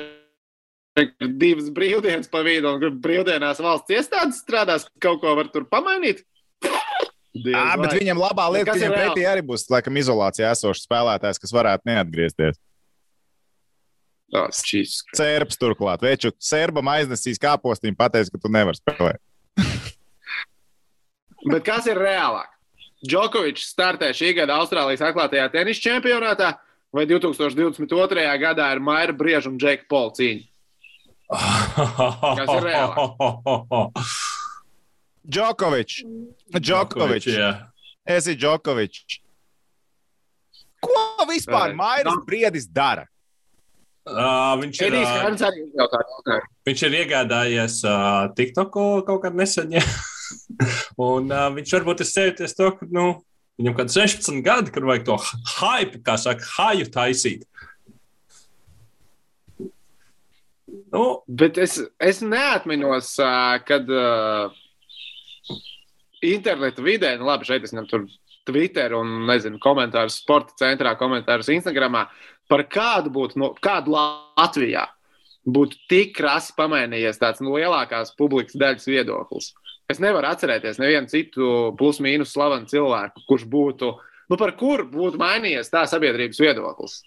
vien divas brīvdienas pa vidu, un brīvdienās valsts iestādes strādās, kaut ko var tur pamainīt. Jā, bet viņam labā lieta, ka viņam pretī arī būs, laikam, izolācijā esošs spēlētājs, kas varētu neatgriezties. Tas šis. Serbs turklāt. Veču, serbam aiznesīs kāpostiņu, pateiks, ka tu nevar spēlēt. Bet kas ir reālāk? Džokovičs startē šī gada Austrālijas atklātajā tenisa čempionātā vai divtūkstoš divdesmit otrajā gadā ir Maira Brieža un Džeka Pola cīņa? Kas ir reālāk? Džokovičs. Džokovičs. Esi Džokovičs. Ko vispār Mairis Briedis dara? Uh, viņš, ir, uh, viņš ir iegādājies uh, TikToku kaut kādā nesen. Un uh, viņš varbūt ir sēties to, ka nu, viņam kāds sešpadsmit gadi, kad vajag to hype, kā saka, haju taisīt. Nu, bet es, es neatminos, uh, kad... Uh, interneta vidē, nu labi, šeit es ņem tur Twitter un, nezinu, komentārus sporta centrā, komentārus Instagramā, par kādu būtu, no, kādu Latvijā būtu tik krasi pamainījies tāds nu, lielākās publikas daļas viedoklis. Es nevaru atcerēties nevienu citu plus mīnus slavenu cilvēku, kurš būtu, nu par kur būtu mainījies tā sabiedrības viedoklis.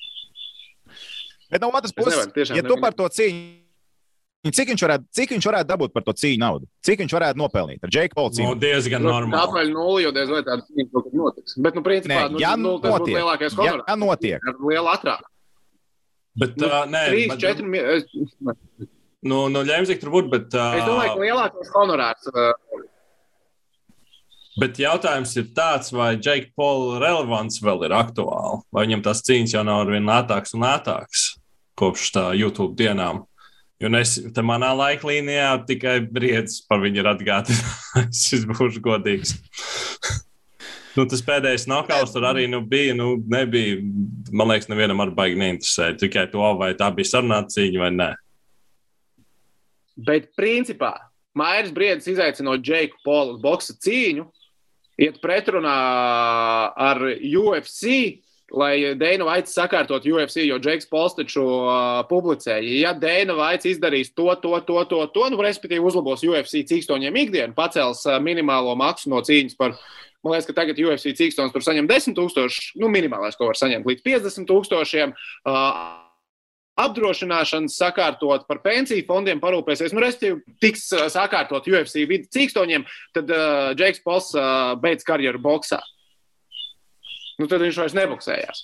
Bet no otras puses, ja tu par to cīņu, Cik viņš, varētu, cik viņš varētu dabūt par to cīņu naudu? Cik viņš varētu nopelnīt ar Džeku Polu cīņu? No, diezgan normāli. Tāpēc nulli, jo diez vai tāda cīņa kaut kad notiks. Bet, nu, principā, nē, ja nu, tas būtu lielākais honorārs. Ja notiek. Ar lielu atrādu. Bet, nu, uh, nē. trīs, četri Es... Nu, nu ļēmzik tur būt, bet... Uh... Es domāju, ka lielākais honorārs... Uh... Bet jautājums ir tāds, vai Džeka Pola relevants vēl ir aktuāli? Vai viņam tās cīņas jau nav arvien lētāks un lētāks kopš tā YouTube dienām? Jo es te manā laiklīnijā tikai Briedis par viņu ir atgādinājis. Es būšu godīgs. Nu, tas pēdējais nokauts tur arī nu, bija, nu, nebija, man liekas, nevienam ar baigi neinteresēja. Tikai to, vai tā bija sarunāta cīņa vai nē. Bet principā Mairis Briedis izaicinot Džeku Polu uz boksa cīņu, iet pretrunā ar U F C, lai Dana Whites sakārtot U F C, jo Džeks Pols taču uh, publicēja. Ja Dana Whites izdarīs to, to, to, to, to, nu, respektīvi uzlabos U F C cīkstoņiem ikdienu, pacels uh, minimālo maksu no cīņas par Man liekas, ka tagad U F C cīkstons tur saņem desmit tūkstoši, nu minimālais, ko var saņemt līdz piecdesmit tūkstošiem. Uh, apdrošināšanas sakārtot, par pensiju fondiem parūpēsies, nu, respektīvi, tiks uh, sakārtot U F C vidu cīkstoņiem, tad uh, Džeiks Pols uh, beidz karjeru boksā. Nu, tad viņš vairs neboksējās.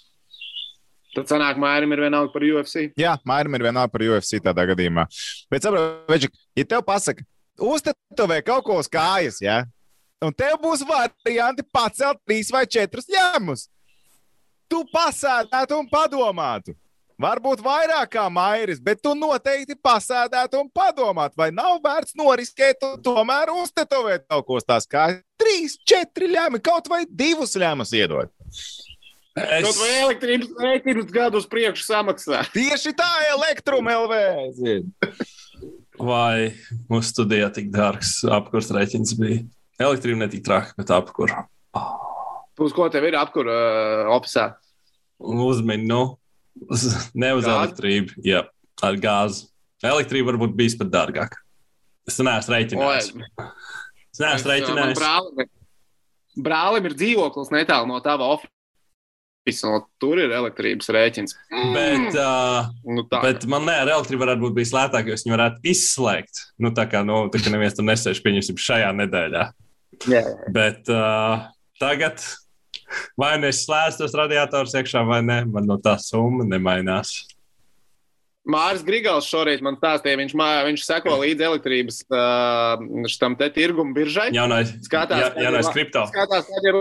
Tad sanāk, Mairim ir vienalga par U F C. Jā, Mairim ir vienalga par U F C tādā gadījumā. Bet saprot, Veģik, ja tev pasaka, uztetovē kaut ko uz kājas, jā, un tev būs varianti pacelt trīs vai četrus ņēmus, tu pasēdētu un padomātu. Varbūt vairāk kā Mairis, bet tu noteikti pasēdētu un padomāt, vai nav vērts noriskēt un tomēr uztetovēt kaut ko tās kā trīs, četri ļēmi, kaut vai divus ļēmus iedot. Es... Kaut vai elektrības rēķinus gadu uz priekšu samaksā. Tieši tā, Elektrum L V. Vai mūsu studijā tik dārgs apkurs rēķins bija? Elektrība ne tik traki, bet apkur. Oh. Uz ko tev ir apkur uh, ofisā? Uzmini, nu. Ne uz elektrību, jā, ar gāzi. Elektrība varbūt bijis pat dārgāk. Es neesmu rēķinājis. Es neesmu rēķinājis. Brālim, brālim ir dzīvoklis netālu no tava ofisa, un tur ir elektrības rēķins. Bet, uh, nu bet man ne, ar elektrību varētu būt bijis lētāk, jo es viņu varētu izslēgt. Nu, tā kā, nu, tā kā neviens tur nesēž, pieņemsim, šajā nedēļā. Jā. Bet uh, tagad... Vai nu es slēdzu tos radiatorus iekšā, vai ne? Man no tā summa nemainās. Māris Grigals šorīt man stāstīja, viņš, mā, viņš seko līdz elektrības uh, šitam te tirgumu biržai. Jaunais, skatās, ja, jaunais kripto. Skatās, kad ir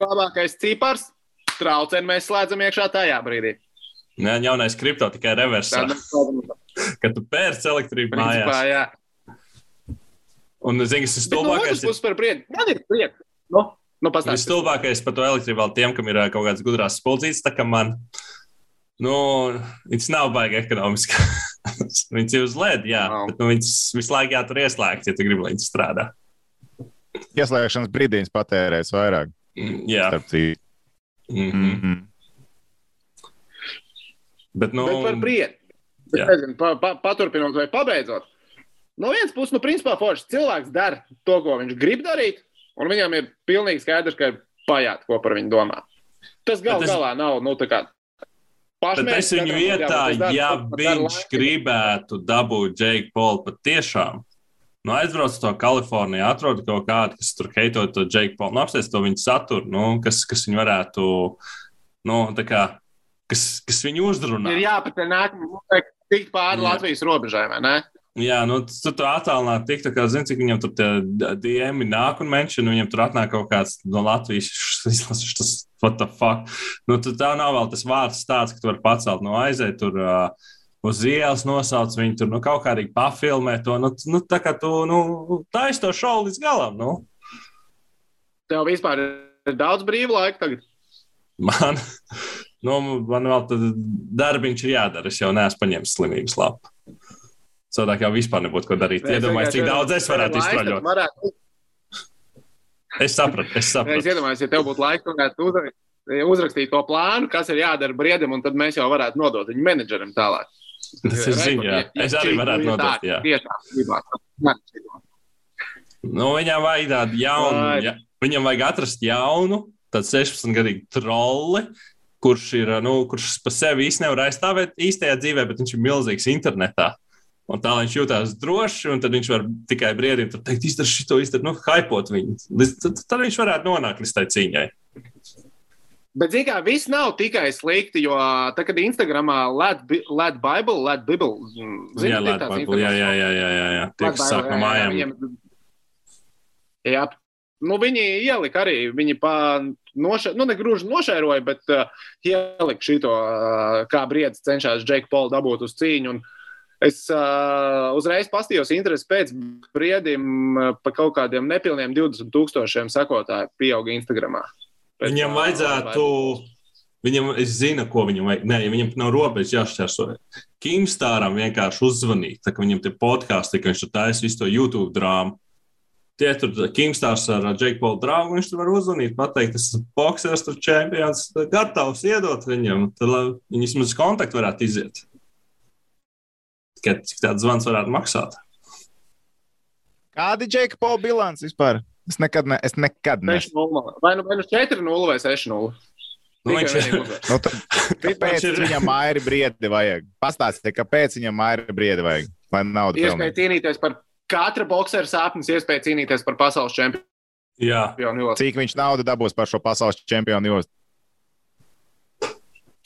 labākais cipars, trauceni mēs slēdzam iekšā tajā brīdī. Jā, jaunais kripto tikai reversā. Kad tu pērc elektrību Principā, mājās. Jā. Un, zini, kas ir stulbākais? Bet no otras puses par prieku. Man ir prieks. No. Nu, Visstulbākais par to elektrību vēl tiem, kam ir kaut kāds gudrās spuldzītes, tā kā man, nu, viņas nav baigi ekonomiski. Viņas ir uz L E D, jā, no. Bet nu, viņas visu laiku jātur ieslēgt, ja tu gribi, lai viņas strādā. Ieslēgšanas brīdīs patērēs vairāk. Mm, jā. Mm-hmm. Mm-hmm. Bet, nu... Bet par prieku. Nezinu, pa, pa, paturpinot vai pabeidzot. No vienas puses, nu, principā, forši cilvēks dara to, ko viņš grib darīt. Un viņam ir pilnīgi skaidrs, ka ir pajāt, ko par viņu domā. Tas gal es... galā nav, nu, tā kā pašmērķis. Bet es viņu vietā, dara, ja viņš gribētu dabūt Jake Paul patiešām, nu, aizbrauc to Kaliforniju, atrod kaut kādu, kas tur heitot to Jake Paul, nu, apsties to viņu saturu, nu, kas, kas viņu varētu, nu, tā kā, kas, kas viņu uzdrunā. Ir jāpatē nākamā, tikt pāri Jā. Latvijas robežai, vai ne? Jā, nu, tu tur attālināt tik, tā kā, zini, cik viņam tur tie D M nāk un menšana, un viņam tur atnāk kaut kāds no Latvijas, izlasīšu tas, what the fuck. Nu, tu tā nav vēl tas vārds tāds, ka tu vari pacelt no aizēt tur uh, uz ielas nosauc viņu tur, nu, kaut kādīgi pafilmē to, nu, nu tā kā tu, nu, taisi to šovu līdz galam, nu. Tev vispār ir daudz brīvu laiku tagad? Man, nu, man vēl tad darbiņš ir jādara, es jau neesmu paņēmis slimības lapu. Sādāk jau vispār nebūtu ko darīt. Iedomājies, cik daudz es varētu iztraļot. Varētu... Es sapratu, es sapratu. Es iedomājies, ja tev būtu laiks, varētu uzrakstīt to plānu, kas ir jādara briedim, un tad mēs jau varētu nodot viņu menedžerim tālāk. Tas ir ziņā, jā. Es arī varētu nodot, jā. Nu, viņam vajag tādu jaunu, ja, viņam vajag atrast jaunu, tādu sešpadsmitgadīgu trolli, kurš ir, nu, kurš pa sevi īsti nevar aizstāvēt īstajā dzīvē, bet viņš ir milzīgs internetā. Un tā viņš jūtās droši, un tad viņš var tikai briedim tur teikt, izdara šito, izdara, nu, haipot viņu. Tad, tad viņš varētu nonākt līdz tai cīņai. Bet, zin kā, viss nav tikai slikti, jo tā, kad Instagramā Lad Bible, Lad Bible, zini, jā, Lad Bible, jā, jā, jā, jā, jā, jā. Tie, kas sāk no mājām. Jā, jā, nu, viņi ielika arī, viņi pa nošē, nu, ne grūži nošēroja, bet uh, ielika šito, uh, kā briedis cenšās Jake Paul dabūt uz cīņu, un es uh, uzreiz pastījos interesi pēc briedim uh, pa kaut kādiem nepilniem divdesmit tūkstošiem sekotāju pieauga Instagramā. Pēc, viņam vajadzētu, viņam, es zinu, ko viņam vajag, nē, ja viņam nav robežas jāšķērso. Kimstāram vienkārši uzzvanīt, tā ka viņam tie podkāsti, ka viņš tur taisa visu to YouTube drāmu. Tie tur Kimstārs ar Jake Paul draugu, viņš tur var uzzvanīt, pateikt, tas ir boksers, tur čempions, gatavs iedot viņam, tad lai viņi vismaz kontaktu varētu iziet. Cik tāds zvans varētu maksāt? Kādi Jake Paul bilants vispār? Es nekad, ne, es nekad ne. Vai nu, vai nu četri nulle vai seši nulle? Nu, viņš ir. Nu, tad, kāpēc ir... viņam Mairi Briedi vajag? Pastāstiet, kāpēc viņam Mairi Briedi vajag? Lai naudu pelnītu. Iespēja cīnīties par katra boksera sāpnes, iespēja cīnīties par pasaules čempionu. Jā. Cik viņš naudu dabūs par šo pasaules čempionu jostu?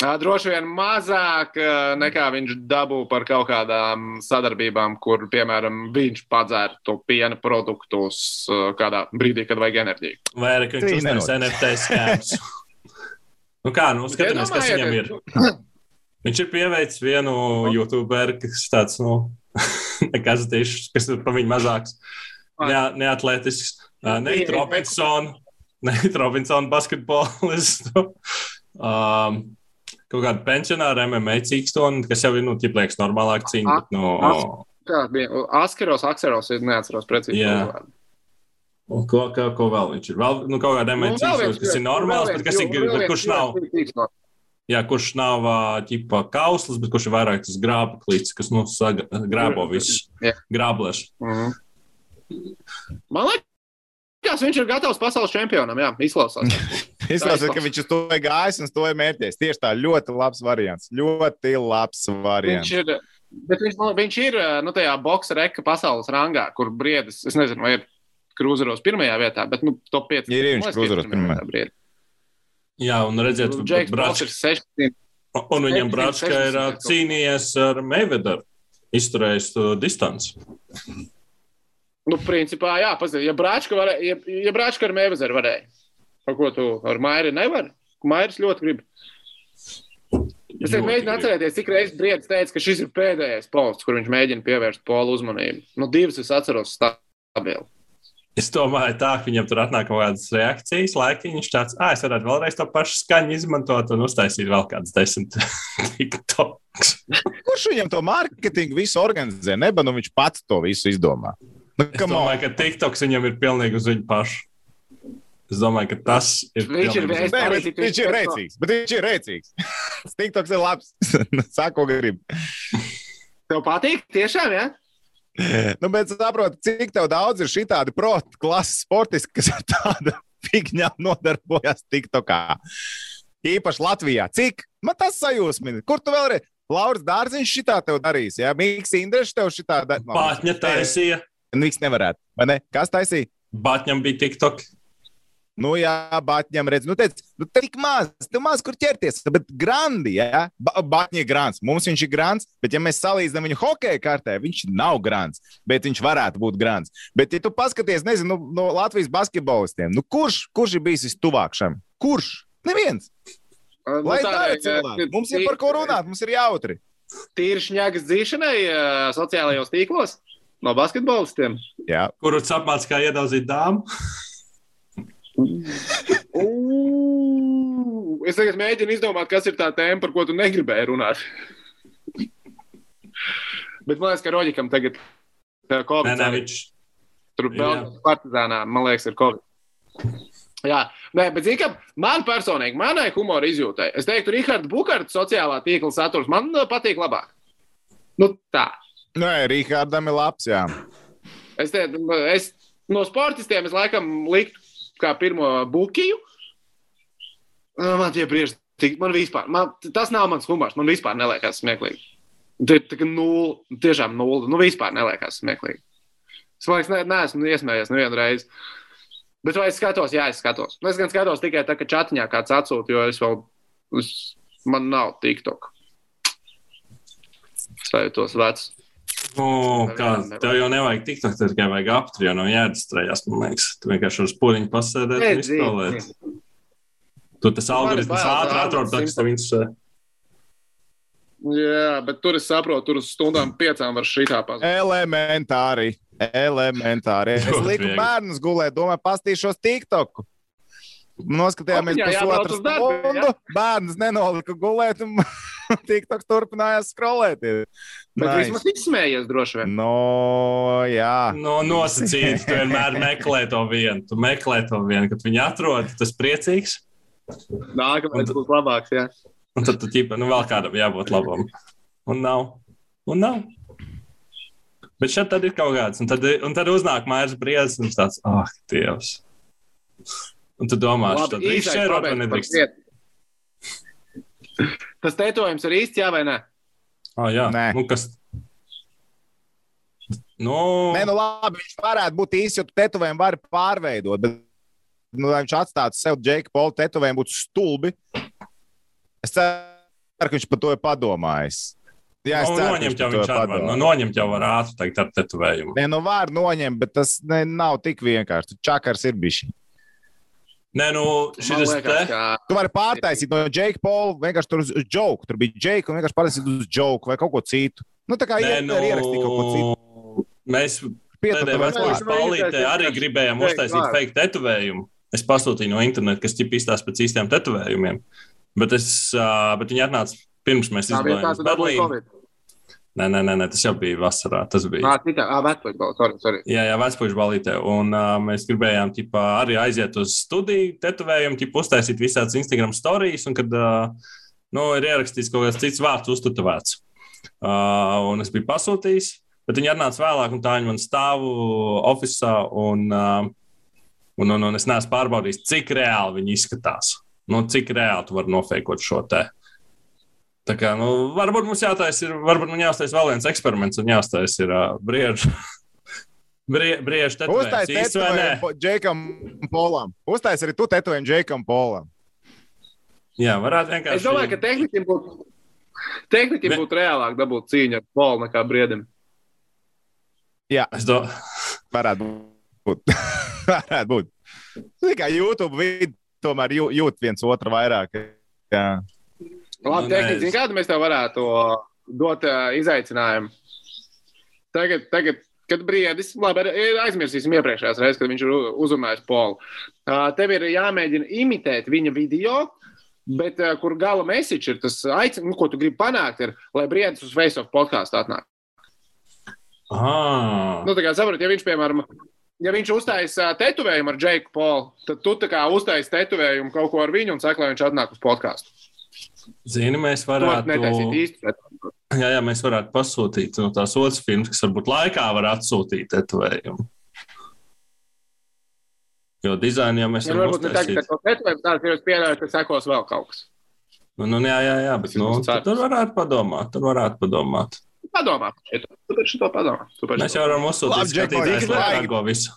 Droši vien mazāk nekā viņš dabū par kaut kādām sadarbībām, kur, piemēram, viņš padzēra to piena produktus kādā brīdī, kad vajag enerģiju. Vai arī, ka viņš uztais N F T skēms. Nu kā, nu, skatāmies, kas viņam ir. Viņš ir pieveicis vienu YouTuberu, kas tāds, nu, nekas tieši, kas ir par viņu mazāks, ne, neatletisks. Neit Robinson, Neit Robinson basketbolistu. Um, kaut kādu pensionāru M M A cīkstoni, kas jau ir, nu, ķipliekas normālāk cīņa, bet, nu... Kā bija? Askeros, Akseros, neatceros precīzi. Jā. Un ko, ko, ko vēl viņš ir? Vēl, nu, kaut kādā M M A cīkstoni, kas ir normāls, bet, kas ir, bet kurš nav... Jā, kurš nav ķipa kauslis, bet kurš ir vairāk tas grāba klīts, kas, nu, saga, grābo visus grāblēšu. Mm-hmm. Man liekas, viņš ir gatavs pasaules čempionam, jā, izklausās. Izklausās, ka viņš uz to ir gājis un uz to ir mērķies. Tieši tā, ļoti labs variants. Ļoti labs variants. Viņš ir, bet viņš, viņš ir, nu, tajā boksa reka pasaules rangā, kur Briedis, es nezinu, vai ir krūzeros pirmajā vietā, bet, nu, top pieci. Ir viņš krūzeros pirmajā vietā. Jā, un redziet, Bračka, un viņam Bračka ir cīnījies ar Mayweatheru, izturējis distanci. Nu, principā, jā, pazīd, ja Bračka, varē, ja, ja Bračka ar Mayweatheru varēja, par ko tu ar Mairi nevar, Mairis ļoti grib. Es teiktu, mēģinu atcerēties, cik reizes Briedis teica, ka šis ir pēdējais posts, kur viņš mēģina pievērst Polu uzmanību. Nu, divas es atceros stabili. Es domāju, tā, ka viņam tur atnāk kaut kādas reakcijas, laiki viņš tāds, ā, es varētu vēlreiz to pašu skaņu izmantot un uztaisīt vēl kādas desmit TikToks. Kurš viņam to mārketingu visu organizē? Neba, nu viņš pats to visu izdomā. Nu, es domāju, ka TikToks viņam ir pilnīgi uz viņu pašu. Es domāju, ka tas ir viņš ir, Nē, viņš, viņš ir rēcīgs, bet viņš ir rēcīgs. TikToks ir labs. Sāk, ko grib. Tev patīk? Tiešām, jā? Ja? Nu, bet saproti, cik tev daudz ir šitādi proti klases sportisti, kas ar tādu figņām nodarbojas TikTokā. Īpaši Latvijā. Cik? Man tas sajūsmina. Kur tu vēlreiz? Lauris Dārziņš šitā tev darīs, jā? Mīks Indreši tev šitā darīs. Batņa taisīja. Mīks nevarētu, vai ne? Kas taisīja? Batņam bija TikTok. Nu jā, Batņam redz, nu teic, nu tik maz, tev maz kur ķerties, bet grandi, jā, ba Batņi ir grants, mums viņš ir grants, bet ja mēs salīdzinām viņu hokeja kartē, viņš nav grants, bet viņš varētu būt grants. Bet ja tu paskaties, nezinu, no, no Latvijas basketbolistiem, nu kurš, kurš ir bijis vistuvāk šam? Kurš? Neviens. Nu, Lai dara cilvēki, mums ir par ko runāt, mums ir jautri. Tīri šņagas dzīšanai sociālajos tīklos no basketbolistiem. Jā. Kurus apmāc kā iedaudzīt dāmu? Uh, es tagad mēģinu izdomāt, kas ir tā tēma, par ko tu negribēji runāt. Bet man liekas, ka Roģikam tagad Covid. Nē, nē, viņš... Tur vēl partizānā, man liekas, ir Covid. Jā, nē, bet zini, ka man personīgi, manai humora izjūtai, es teiktu, Rihards Bukarts sociālā tīkla saturs man patīk labāk. Nu tā. Nē, Rihardam ir labs, jā. Es, te, es no sportistiem es laikam liktu kā pirmo Bukiju. Man tie brieži, man vispār, man, tas nav mans humors, man vispār neliekas smieklīgi. Tā kā nulli, tiešām nulli, nu vispār neliekas smieklīgi. Es man liekas, ne, neesmu iesmējies nevienu reizi. Bet vai es skatos? Jā, es skatos. Es gan skatos tikai tā, ka čatiņā kāds atsūta, jo es vēl, es, man nav TikTok. Es jūtos vecs. O, kā, tev jau nevajag TikTok, tad tikai vajag aptri, jo nav jādistrējās, man liekas. Tu vienkārši uz puliņu pasēdēt un izspēlēt. Tu tas algoritms ātri atrod, tas tev interesē. Jā, bet tur es saprotu, tur uz stundām piecām var šitā pazīt. Elementāri, elementāri. Es liku bērnus gulēt, domāju, pastīšos TikToku. Noskatījāmies pusotru stundu, bērnus nenolika gulēt un TikToks turpinājās skrolēt. Bet nice. Vismaz izsmējies droši vien. No, jā. No, nosacīti, tu vienmēr meklē to vienu. Tu meklē to vienu, kad viņi atrod, tas priecīgs. Nākamais būs labāks, jā. Un tad tu ķipa, nu vēl kādam jābūt labam. Un nav. Un nav. Bet šeit tad ir kaut kāds, un tad, un tad uznāk Mairs Briedis, un tāds, ah, oh, Dievs. Un tu domā, Labi, tad drīkst šērot vai nedrīkst? Tas tetovējums ir īsts, jā vai ne? Ah, jā, Nē. Nu, kas... Nu... Nē, nu labi, viņš varētu būt īsts, jo tu tetovējumu vari pārveidot, bet, nu, lai viņš atstātu sev Džeika Pola tetovējumu, būtu stulbi. Es ceru, ka viņš par to ir padomājis. Jā, es nu, ceru, noņemt jau viņš var. Nu, noņemt jau var ātri tagad ar tetovējumu. Nē, nu var noņemt, bet tas ne, nav tik vienkārši. Čakars ir bišķi. Nē, nu, šis te... Kā... Tu vari pārtaisīt no Džeika Pola vienkārši tur uz joke. Tur bija Džeika un vienkārši pārtaisīt uz joke vai kaut ko citu. Nu, tā kā Nē, nu... ierakstīt kaut ko citu. Mēs pēdējā vecpuļas Paulītē arī gribējām uztaisīt fake tetovējumu. Es pasūtīju no interneta, kas ķip izstās pēc īstiem tetovējumiem. Bet, es, bet viņi atnāca pirms mēs izglājām Berlīnu. Nē, nē, nē, tas jau bija vasarā. Tas bija. Ā, citā, ā, vecpuļas balītē, sorry, sorry. Jā, jā, vecpuļas balītē. Un uh, mēs gribējām ķipā, arī aiziet uz studiju tetovējumu, ķipā uztaisīt visādas Instagram stories, un kad uh, nu, ir ierakstīts kaut kāds cits vārds uztetovēts. Uh, un es biju pasūtījis, bet viņi atnāca vēlāk, un tā viņi man stāvu ofisā, un, uh, un, un, un es neesmu pārbaudījis, cik reāli viņi izskatās. Nu, cik reāli tu vari nofeikot šo te. Tā kā, nu, varbūt mums jātaisa ir, varbūt mums jāuztaisa vēl viens eksperiments un jāuztaisa ir uh, briežu. Brie, briežu tetovējums. Uztais tetovējumu Džeikam Polam. Uztais arī tu tetovējumu Džeikam Polam. Jā, varētu vienkārši... Es domāju, ka tehnikiem būtu, tehnikiem būtu reālāk dabūt cīņu ar Polu nekā Briedim. Jā, es do... varētu būt. varētu būt. Tikai YouTube vidi tomēr jū, jūt viens otru vairāk. Jā. Labi, nu, tehniski, es... kādu mēs tev varētu dot uh, izaicinājumu? Tagad, tagad, kad Briedis, labi, aizmirsīsim iepriekšējās reizes, kad viņš ir uzrunājis Polu. Uh, tev ir jāmēģina imitēt viņa video, bet uh, kur gala message ir tas aicin, nu, ko tu gribi panākt, ir, lai Briedis uz Face of podcastu atnāk. Ah. Nu, tā kā saprot, ja viņš, piemēram, ja viņš uztais uh, tetovējumu ar Džeiku Polu, tad tu tā kā uztais tetovējumu kaut ko ar viņu un saka, lai viņš atnāk uz podcastu. Zini, mēs varētu... Jā, jā, mēs varētu pasūtīt no tās otras filmas, kas varbūt laikā var atsūtīt tetovējumu. Jo dizainu jau mēs ja, varam uztaisīt. uztaisīt. Ja varbūt tā, ka es pieļauju, ka sekos vēl kaut kas. Nu, nu jā, jā, jā, bet nu, tur varētu padomāt, tur varētu padomāt. Padomā, tu par šito padomā. Mēs jau varam uzsūtīt skatītājs, lai rāgo visu.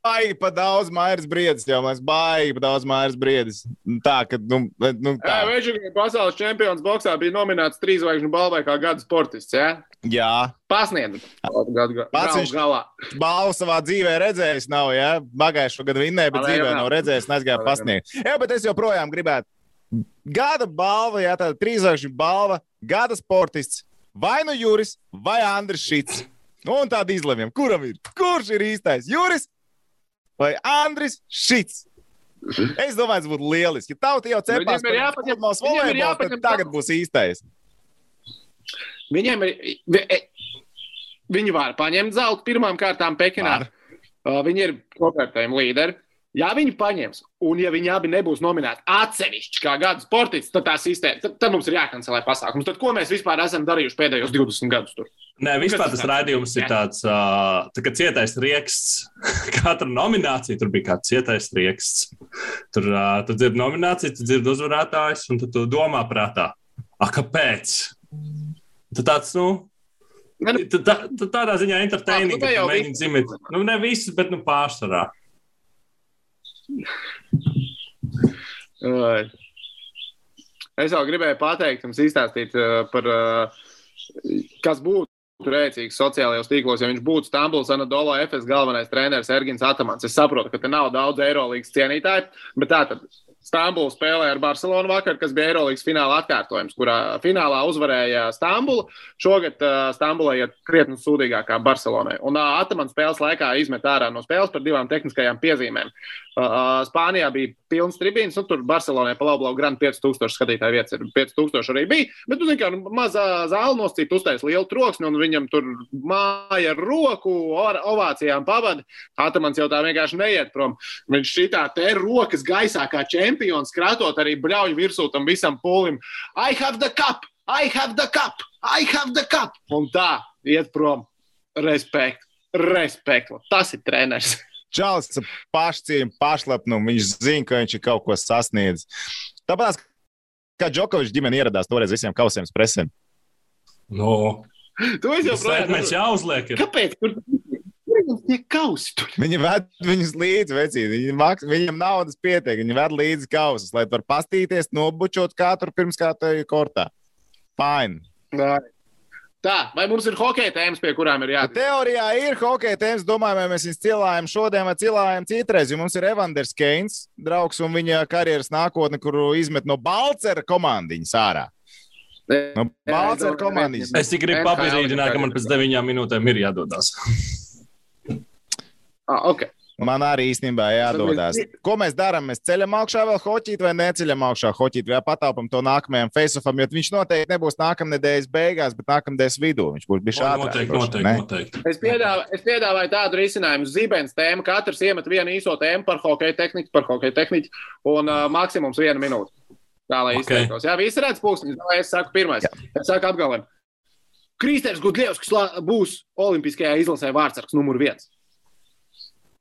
Baigi pa daudz Mairs Briedis, jau mēs baigi pa daudz Mairs Briedis. Tā, ka, nu, nu tā. Jā, viņš pasaules čempions boksā bija nominēts trīzvaigžņu balvai kā gada sportists, jā? Jā. Pasniedz. Pats viņš balvu savā dzīvē redzējis nav, jā? Bagājušo gadu vinnēja, bet dzīvē nav redzējis, nezgāja pasniegt. Jā, bet es joprojām gribētu. Gada balva, jā, tāda trīzvaigžņu balva, gada sportists, vai nu Juris, vai Andris Šits. Un tādu izlemjam, kuram ir? Kurš ir īstais? Juris? Vai Andris Šits? Es domāju, tas būtu lieliski. Ja tauti jau cepās par futbols volejbols, tad tagad būs īstais. Viņiem ir... Viņi var paņemt zeltu pirmām kārtām Pekinā. Var. Viņi ir kopvērtējumi līderi. Ja viņi paņems, un ja viņi abi nebūs nominēti atsevišķi kā gada sportists, tad tā sistēma, tad, tad mums ir jākancelē pasākums. Tad ko mēs vispār esam darījuši pēdējos divdesmit gadus tur? Nē, vispār tas raidījums ir tāds, uh, tā kā cietais rieksts. Katra nominācija tur bija kāds cietais rieksts. Tur uh, tu dzirdi nomināciju, tu dzirdi uzvarētājs, un tu, tu domā prātā. A, kāpēc? Tu tāds, nu, tu, tā, tu tādā ziņā entertaining, ka tu mēģini dzimēt. Nu, ne visus, bet nu pārsvarā. Es vēl gribēju pateikt, jums izstāstīt par, kas būtu rēcīgs sociālajos tīklos, ja viņš būtu Stambuls Anadolu Efes galvenais treneris Ergins Atamans. Es saprotu, ka te nav daudz Eirolīgas cienītāji, bet tātad Stambula spēlēja ar Barcelonu vakar, kas bija Eirolīgas fināla atkārtojums, kurā finālā uzvarēja Stambula. Šogad uh, Stambulai ir krietni sūdīgākā Barcelonai. Un uh, Atamans spēles laikā izmet ārā no spēles par divām tehniskajām piezīmēm. Uh, Spānijā bija pilns tribīns, nu tur Barcelonai pa labu labu grand pieci tūkstoši skatītāju vietas ir, pieci tūkstoši arī bija, bet, nu, zin kā, mazā zāle noscīt uztais lielu troksni, un viņam tur māja ar roku, ovācijām pavada. Atamans jau tā vienkārši neiet prom. Viņš šitā te rokas gaisā kā čempions, kratot arī bļauju virsū tam visam pūlim. I have the cup! I have the cup! I have the cup! Un tā, iet prom. Respekt. Respekt. Tas ir treneris. Čalis pašcīm, pašlepnumu. Viņš zina, ka viņš ir kaut ko sasniedzis. Tāpēc, kā Džokovičs ģimene ieradās toreiz visiem kausiem presēm. No. Tu esi jau projām. Mēs jāuzliek. Ir. Kāpēc? Kur viņam tie kausi tur? Viņi ved viņus līdzi, vecīt. Viņi maks, viņam naudas pietiek. Viņi ved līdzi kausus, lai var pastīties, nobučot katru pirms kā tevi kortā. Fine. Nā. Tā, vai mums ir hokeja tēmas, pie kurām ir jāatzīst? Teorijā ir hokeja tēmas. Domāju, vai mēs viņus cilājam šodien vai cilājam citreiz, jo mums ir Evanders Keins, draugs un viņa karjeras nākotne, kuru izmet no Balcera komandiņas ārā. No Balcera komandiņas. Es tik gribu pabrīdināt, ka man pēc deviņām minūtēm ir jādodās. Ah, ok. Man arī īstenībā jādodās. Ko mēs darām? Mēs ceļam augšā vēl hoķīt vai neceļam augšā hoķīt vai patāpam to nākamajam face-offam, jo viņš noteikti nebūs nākamnedēļas beigās, bet nākamnedēļas vidū. Viņš būs bijis ātrāk. Noteikti, noteikti, noteikti. Es piedāvāju, es piedāvāju tādu risinājumu. Zibens tēma, katrs iemet vienu īso tēmu par hokeja tehniku, par hokeja tehniku un uh, maksimums vienu minūti. Tā, lai okay. izteiktos. Jā, visi redz pulksteņus. Es saku pirmais. Jā. Es saku apgalvēm. Kristēns Gudļevskis būs olimpiskajā izlasē vārdsargs numur viens.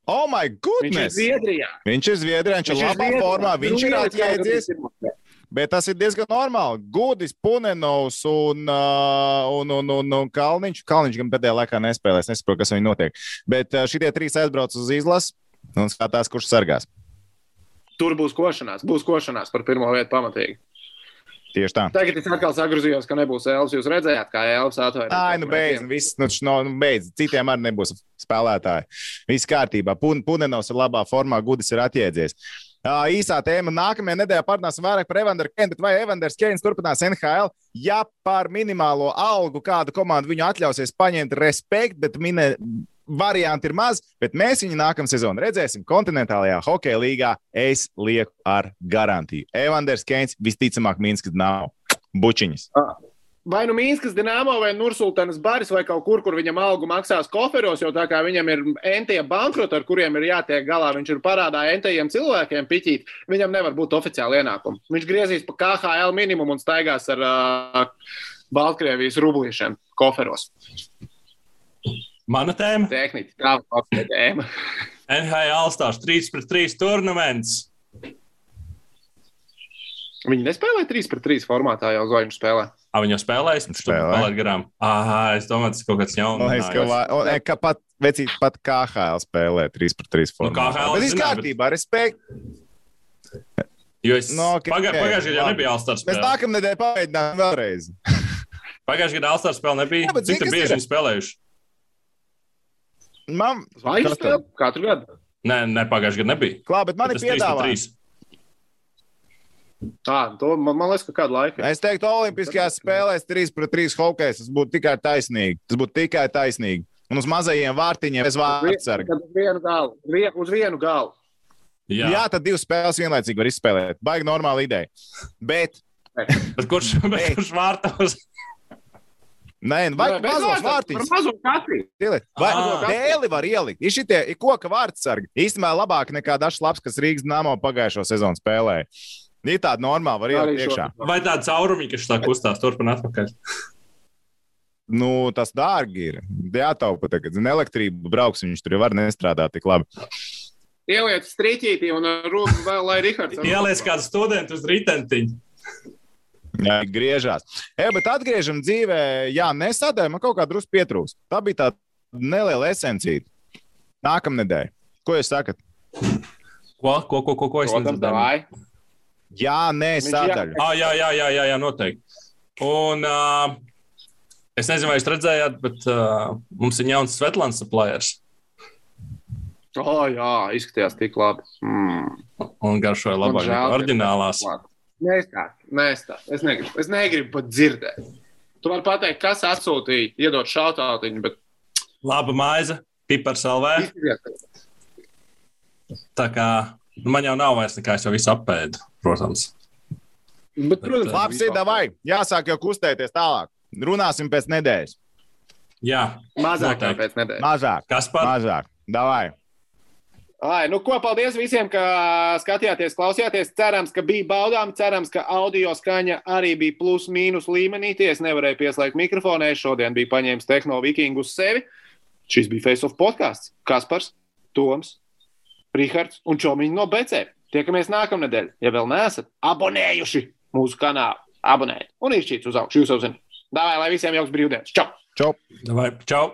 Oh, my goodness! Viņš ir Zviedrijā. Viņš ir Zviedrijā, viņš ir labā formā, viņš ir atjēdzies. Bet tas ir diezgan normāli. Gudis, Punenovs un, uh, un, un, un, un Kalniņš. Kalniņš gan pēdējā laikā nespēlēs, nesaprotu, kas viņu notiek. Bet uh, šitie trīs aizbrauc uz izlases un skatās, kurš sargās. Tur būs košanās, būs košanās par pirmo vietu pamatīgi. Tieši tā. Tagad es atkal sagruzījos, ka nebūs Elvis. Jūs redzējāt, kā Elvis atvērt. Ai, nu beidz, viss, nu, no, nu beidz. Citiem arī nebūs spēlētāji. Viss kārtībā. Pun, Punenovs ir labā formā, Gudis ir atjēdzies. Uh, īsā tēma. Nākamajā nedēļā parunāsim vairāk par Evanderu Keinu, bet vai Evanders Keins turpinās N H L? Ja par minimālo algu kādu komandu viņu atļausies paņemt, respekt, bet minē... varianti ir maz, bet mēs viņu nākamā sezonu redzēsim kontinentālajā hokeja līgā. Es lieku ar garantiju. Evanders Keins visticamāk Minskas Dinamo. Bučiņas. Vai nu Minskas Dinamo vai Nursultanas Baris vai kaut kur, kur viņam algu maksās koferos, jo tā kā viņam ir entie bankroti, ar kuriem ir jātiek galā, viņš ir parādā entajiem cilvēkiem piķīt, viņam nevar būt oficiāli ienākumi. Viņš griezīs pa K H L minimumu un staigās ar uh, Baltkrievijas rublīšiem koferos. Mana tēma? Tehniski, tā ir tēma. N H L All-Stars trīs pret trīs turnaments. Viņi nespēlē trīs pret trīs formātā jau zvaigžņu spēlē. A, viņi jau spēlēs? Spēlē. Palaid garām. Aha, es domāju, tas kaut kāds jauns. Man liekas, ka, va, o, ka pat, vecīt, pat K H L spēlē trīs pret trīs formātā. Nu, K H L bet viss kārtībā, bet... respekt. Jo es no, okay, pagā, pagājušajā gadā nebija All-Stars spēle. Mēs nākamnedēļ pamēģinām vēlreiz. Pagājušajā gadā All-Stars spēle nebija. Jā, cik tur bieži viņi spēlējuši? Man... Zvaigžņu spēle? Katru gadu? Nē, ne, pagājušajā gadā nebija. Klā, bet man bet ir piedāvājums. Tā, to man, man liekas, ka kādu laiku. Es teiktu, olimpiskajās spēlēs trīs pret trīs hokejs, tas būtu tikai taisnīgi. Tas būtu tikai taisnīgi. Un uz mazajiem vārtiņiem bez vārtsarga. Uz vienu galu. Vien, uz vienu galu. Jā. Jā, tad divas spēles vienlaicīgi var izspēlēt. Baigi normāla ideja. Bet... bet kurš, bet kurš vārtos? Nē, vai mazos vārtiņus. Par mazo katru. Vai dēli var ielikt. Ir šitie ir koka vārtsargi. Īstenībā labāk nekā dažs labs, kas Rīgas Dinamo pagājušo sezonu spēlēja. Ir tāda normāla, var ielikt iekšā. Vai tāda caurumi, kas tā kustās turpin atpakaļ? Nu, tas dārgi ir. Jātaupa tagad. Zin, elektrību brauks, viņš tur var nestrādāt tik labi. Ieliec striķītī un rūp vēl, lai Rihards... Ieliec kādu studentu uz ritentiņu. Jā, griežās. E, bet atgriežam dzīvē, jā, nesadēļ, man kaut kā drusku pietrūks. Tā bija tā neliela esencīta. Nākamnedēļ. Ko jūs sakat? Ko, ko, ko, ko, ko es nedzirdēju? Jā, nē, sadaļu. Ah, jā, jā, jā, jā, jā, noteikti. Un uh, es nezinu, vai jūs redzējāt, bet uh, mums ir jauns Svetlāns suppliers. O, oh, jā, izskatījās tik labi. Mm. Un garšoja labāk nekā oriģinālās. Nestāst, nestāst. Es negribu, es negribu pat dzirdēt. Tu vari pateikt, kas atsūtīja, iedot šautautiņu, bet... Laba maize, pipars L V. Tā kā... Nu, man jau nav vairs nekā, es jau visu apēdu, protams. Bet, protams, labs ir, davai. Jāsāk jau kustēties tālāk. Runāsim pēc nedēļas. Jā. Mazāk pēc nedēļas. Mazāk. Kas par? Mazāk. Davai. Ai, nu, ko, paldies visiem, ka skatījāties, klausījāties. Cerams, ka bija baudām, cerams, ka audio skaņa arī bija plus mīnus līmenī. Ties nevarēja pieslēgt mikrofonē. Šodien bija paņēmis Tehno Vikingu uz sevi. Šis bija Face of podcasts. Kaspars, Toms, Rihards un Čomiņi no B C. Tiekamies nākamnedēļ. Ja vēl neesat abonējuši mūsu kanālu, abonējiet un izšķīts uz augšu. Jūs jau zināt. Davai, lai visiem jauks brīvdienas. Čau! Čau! Davai, čau!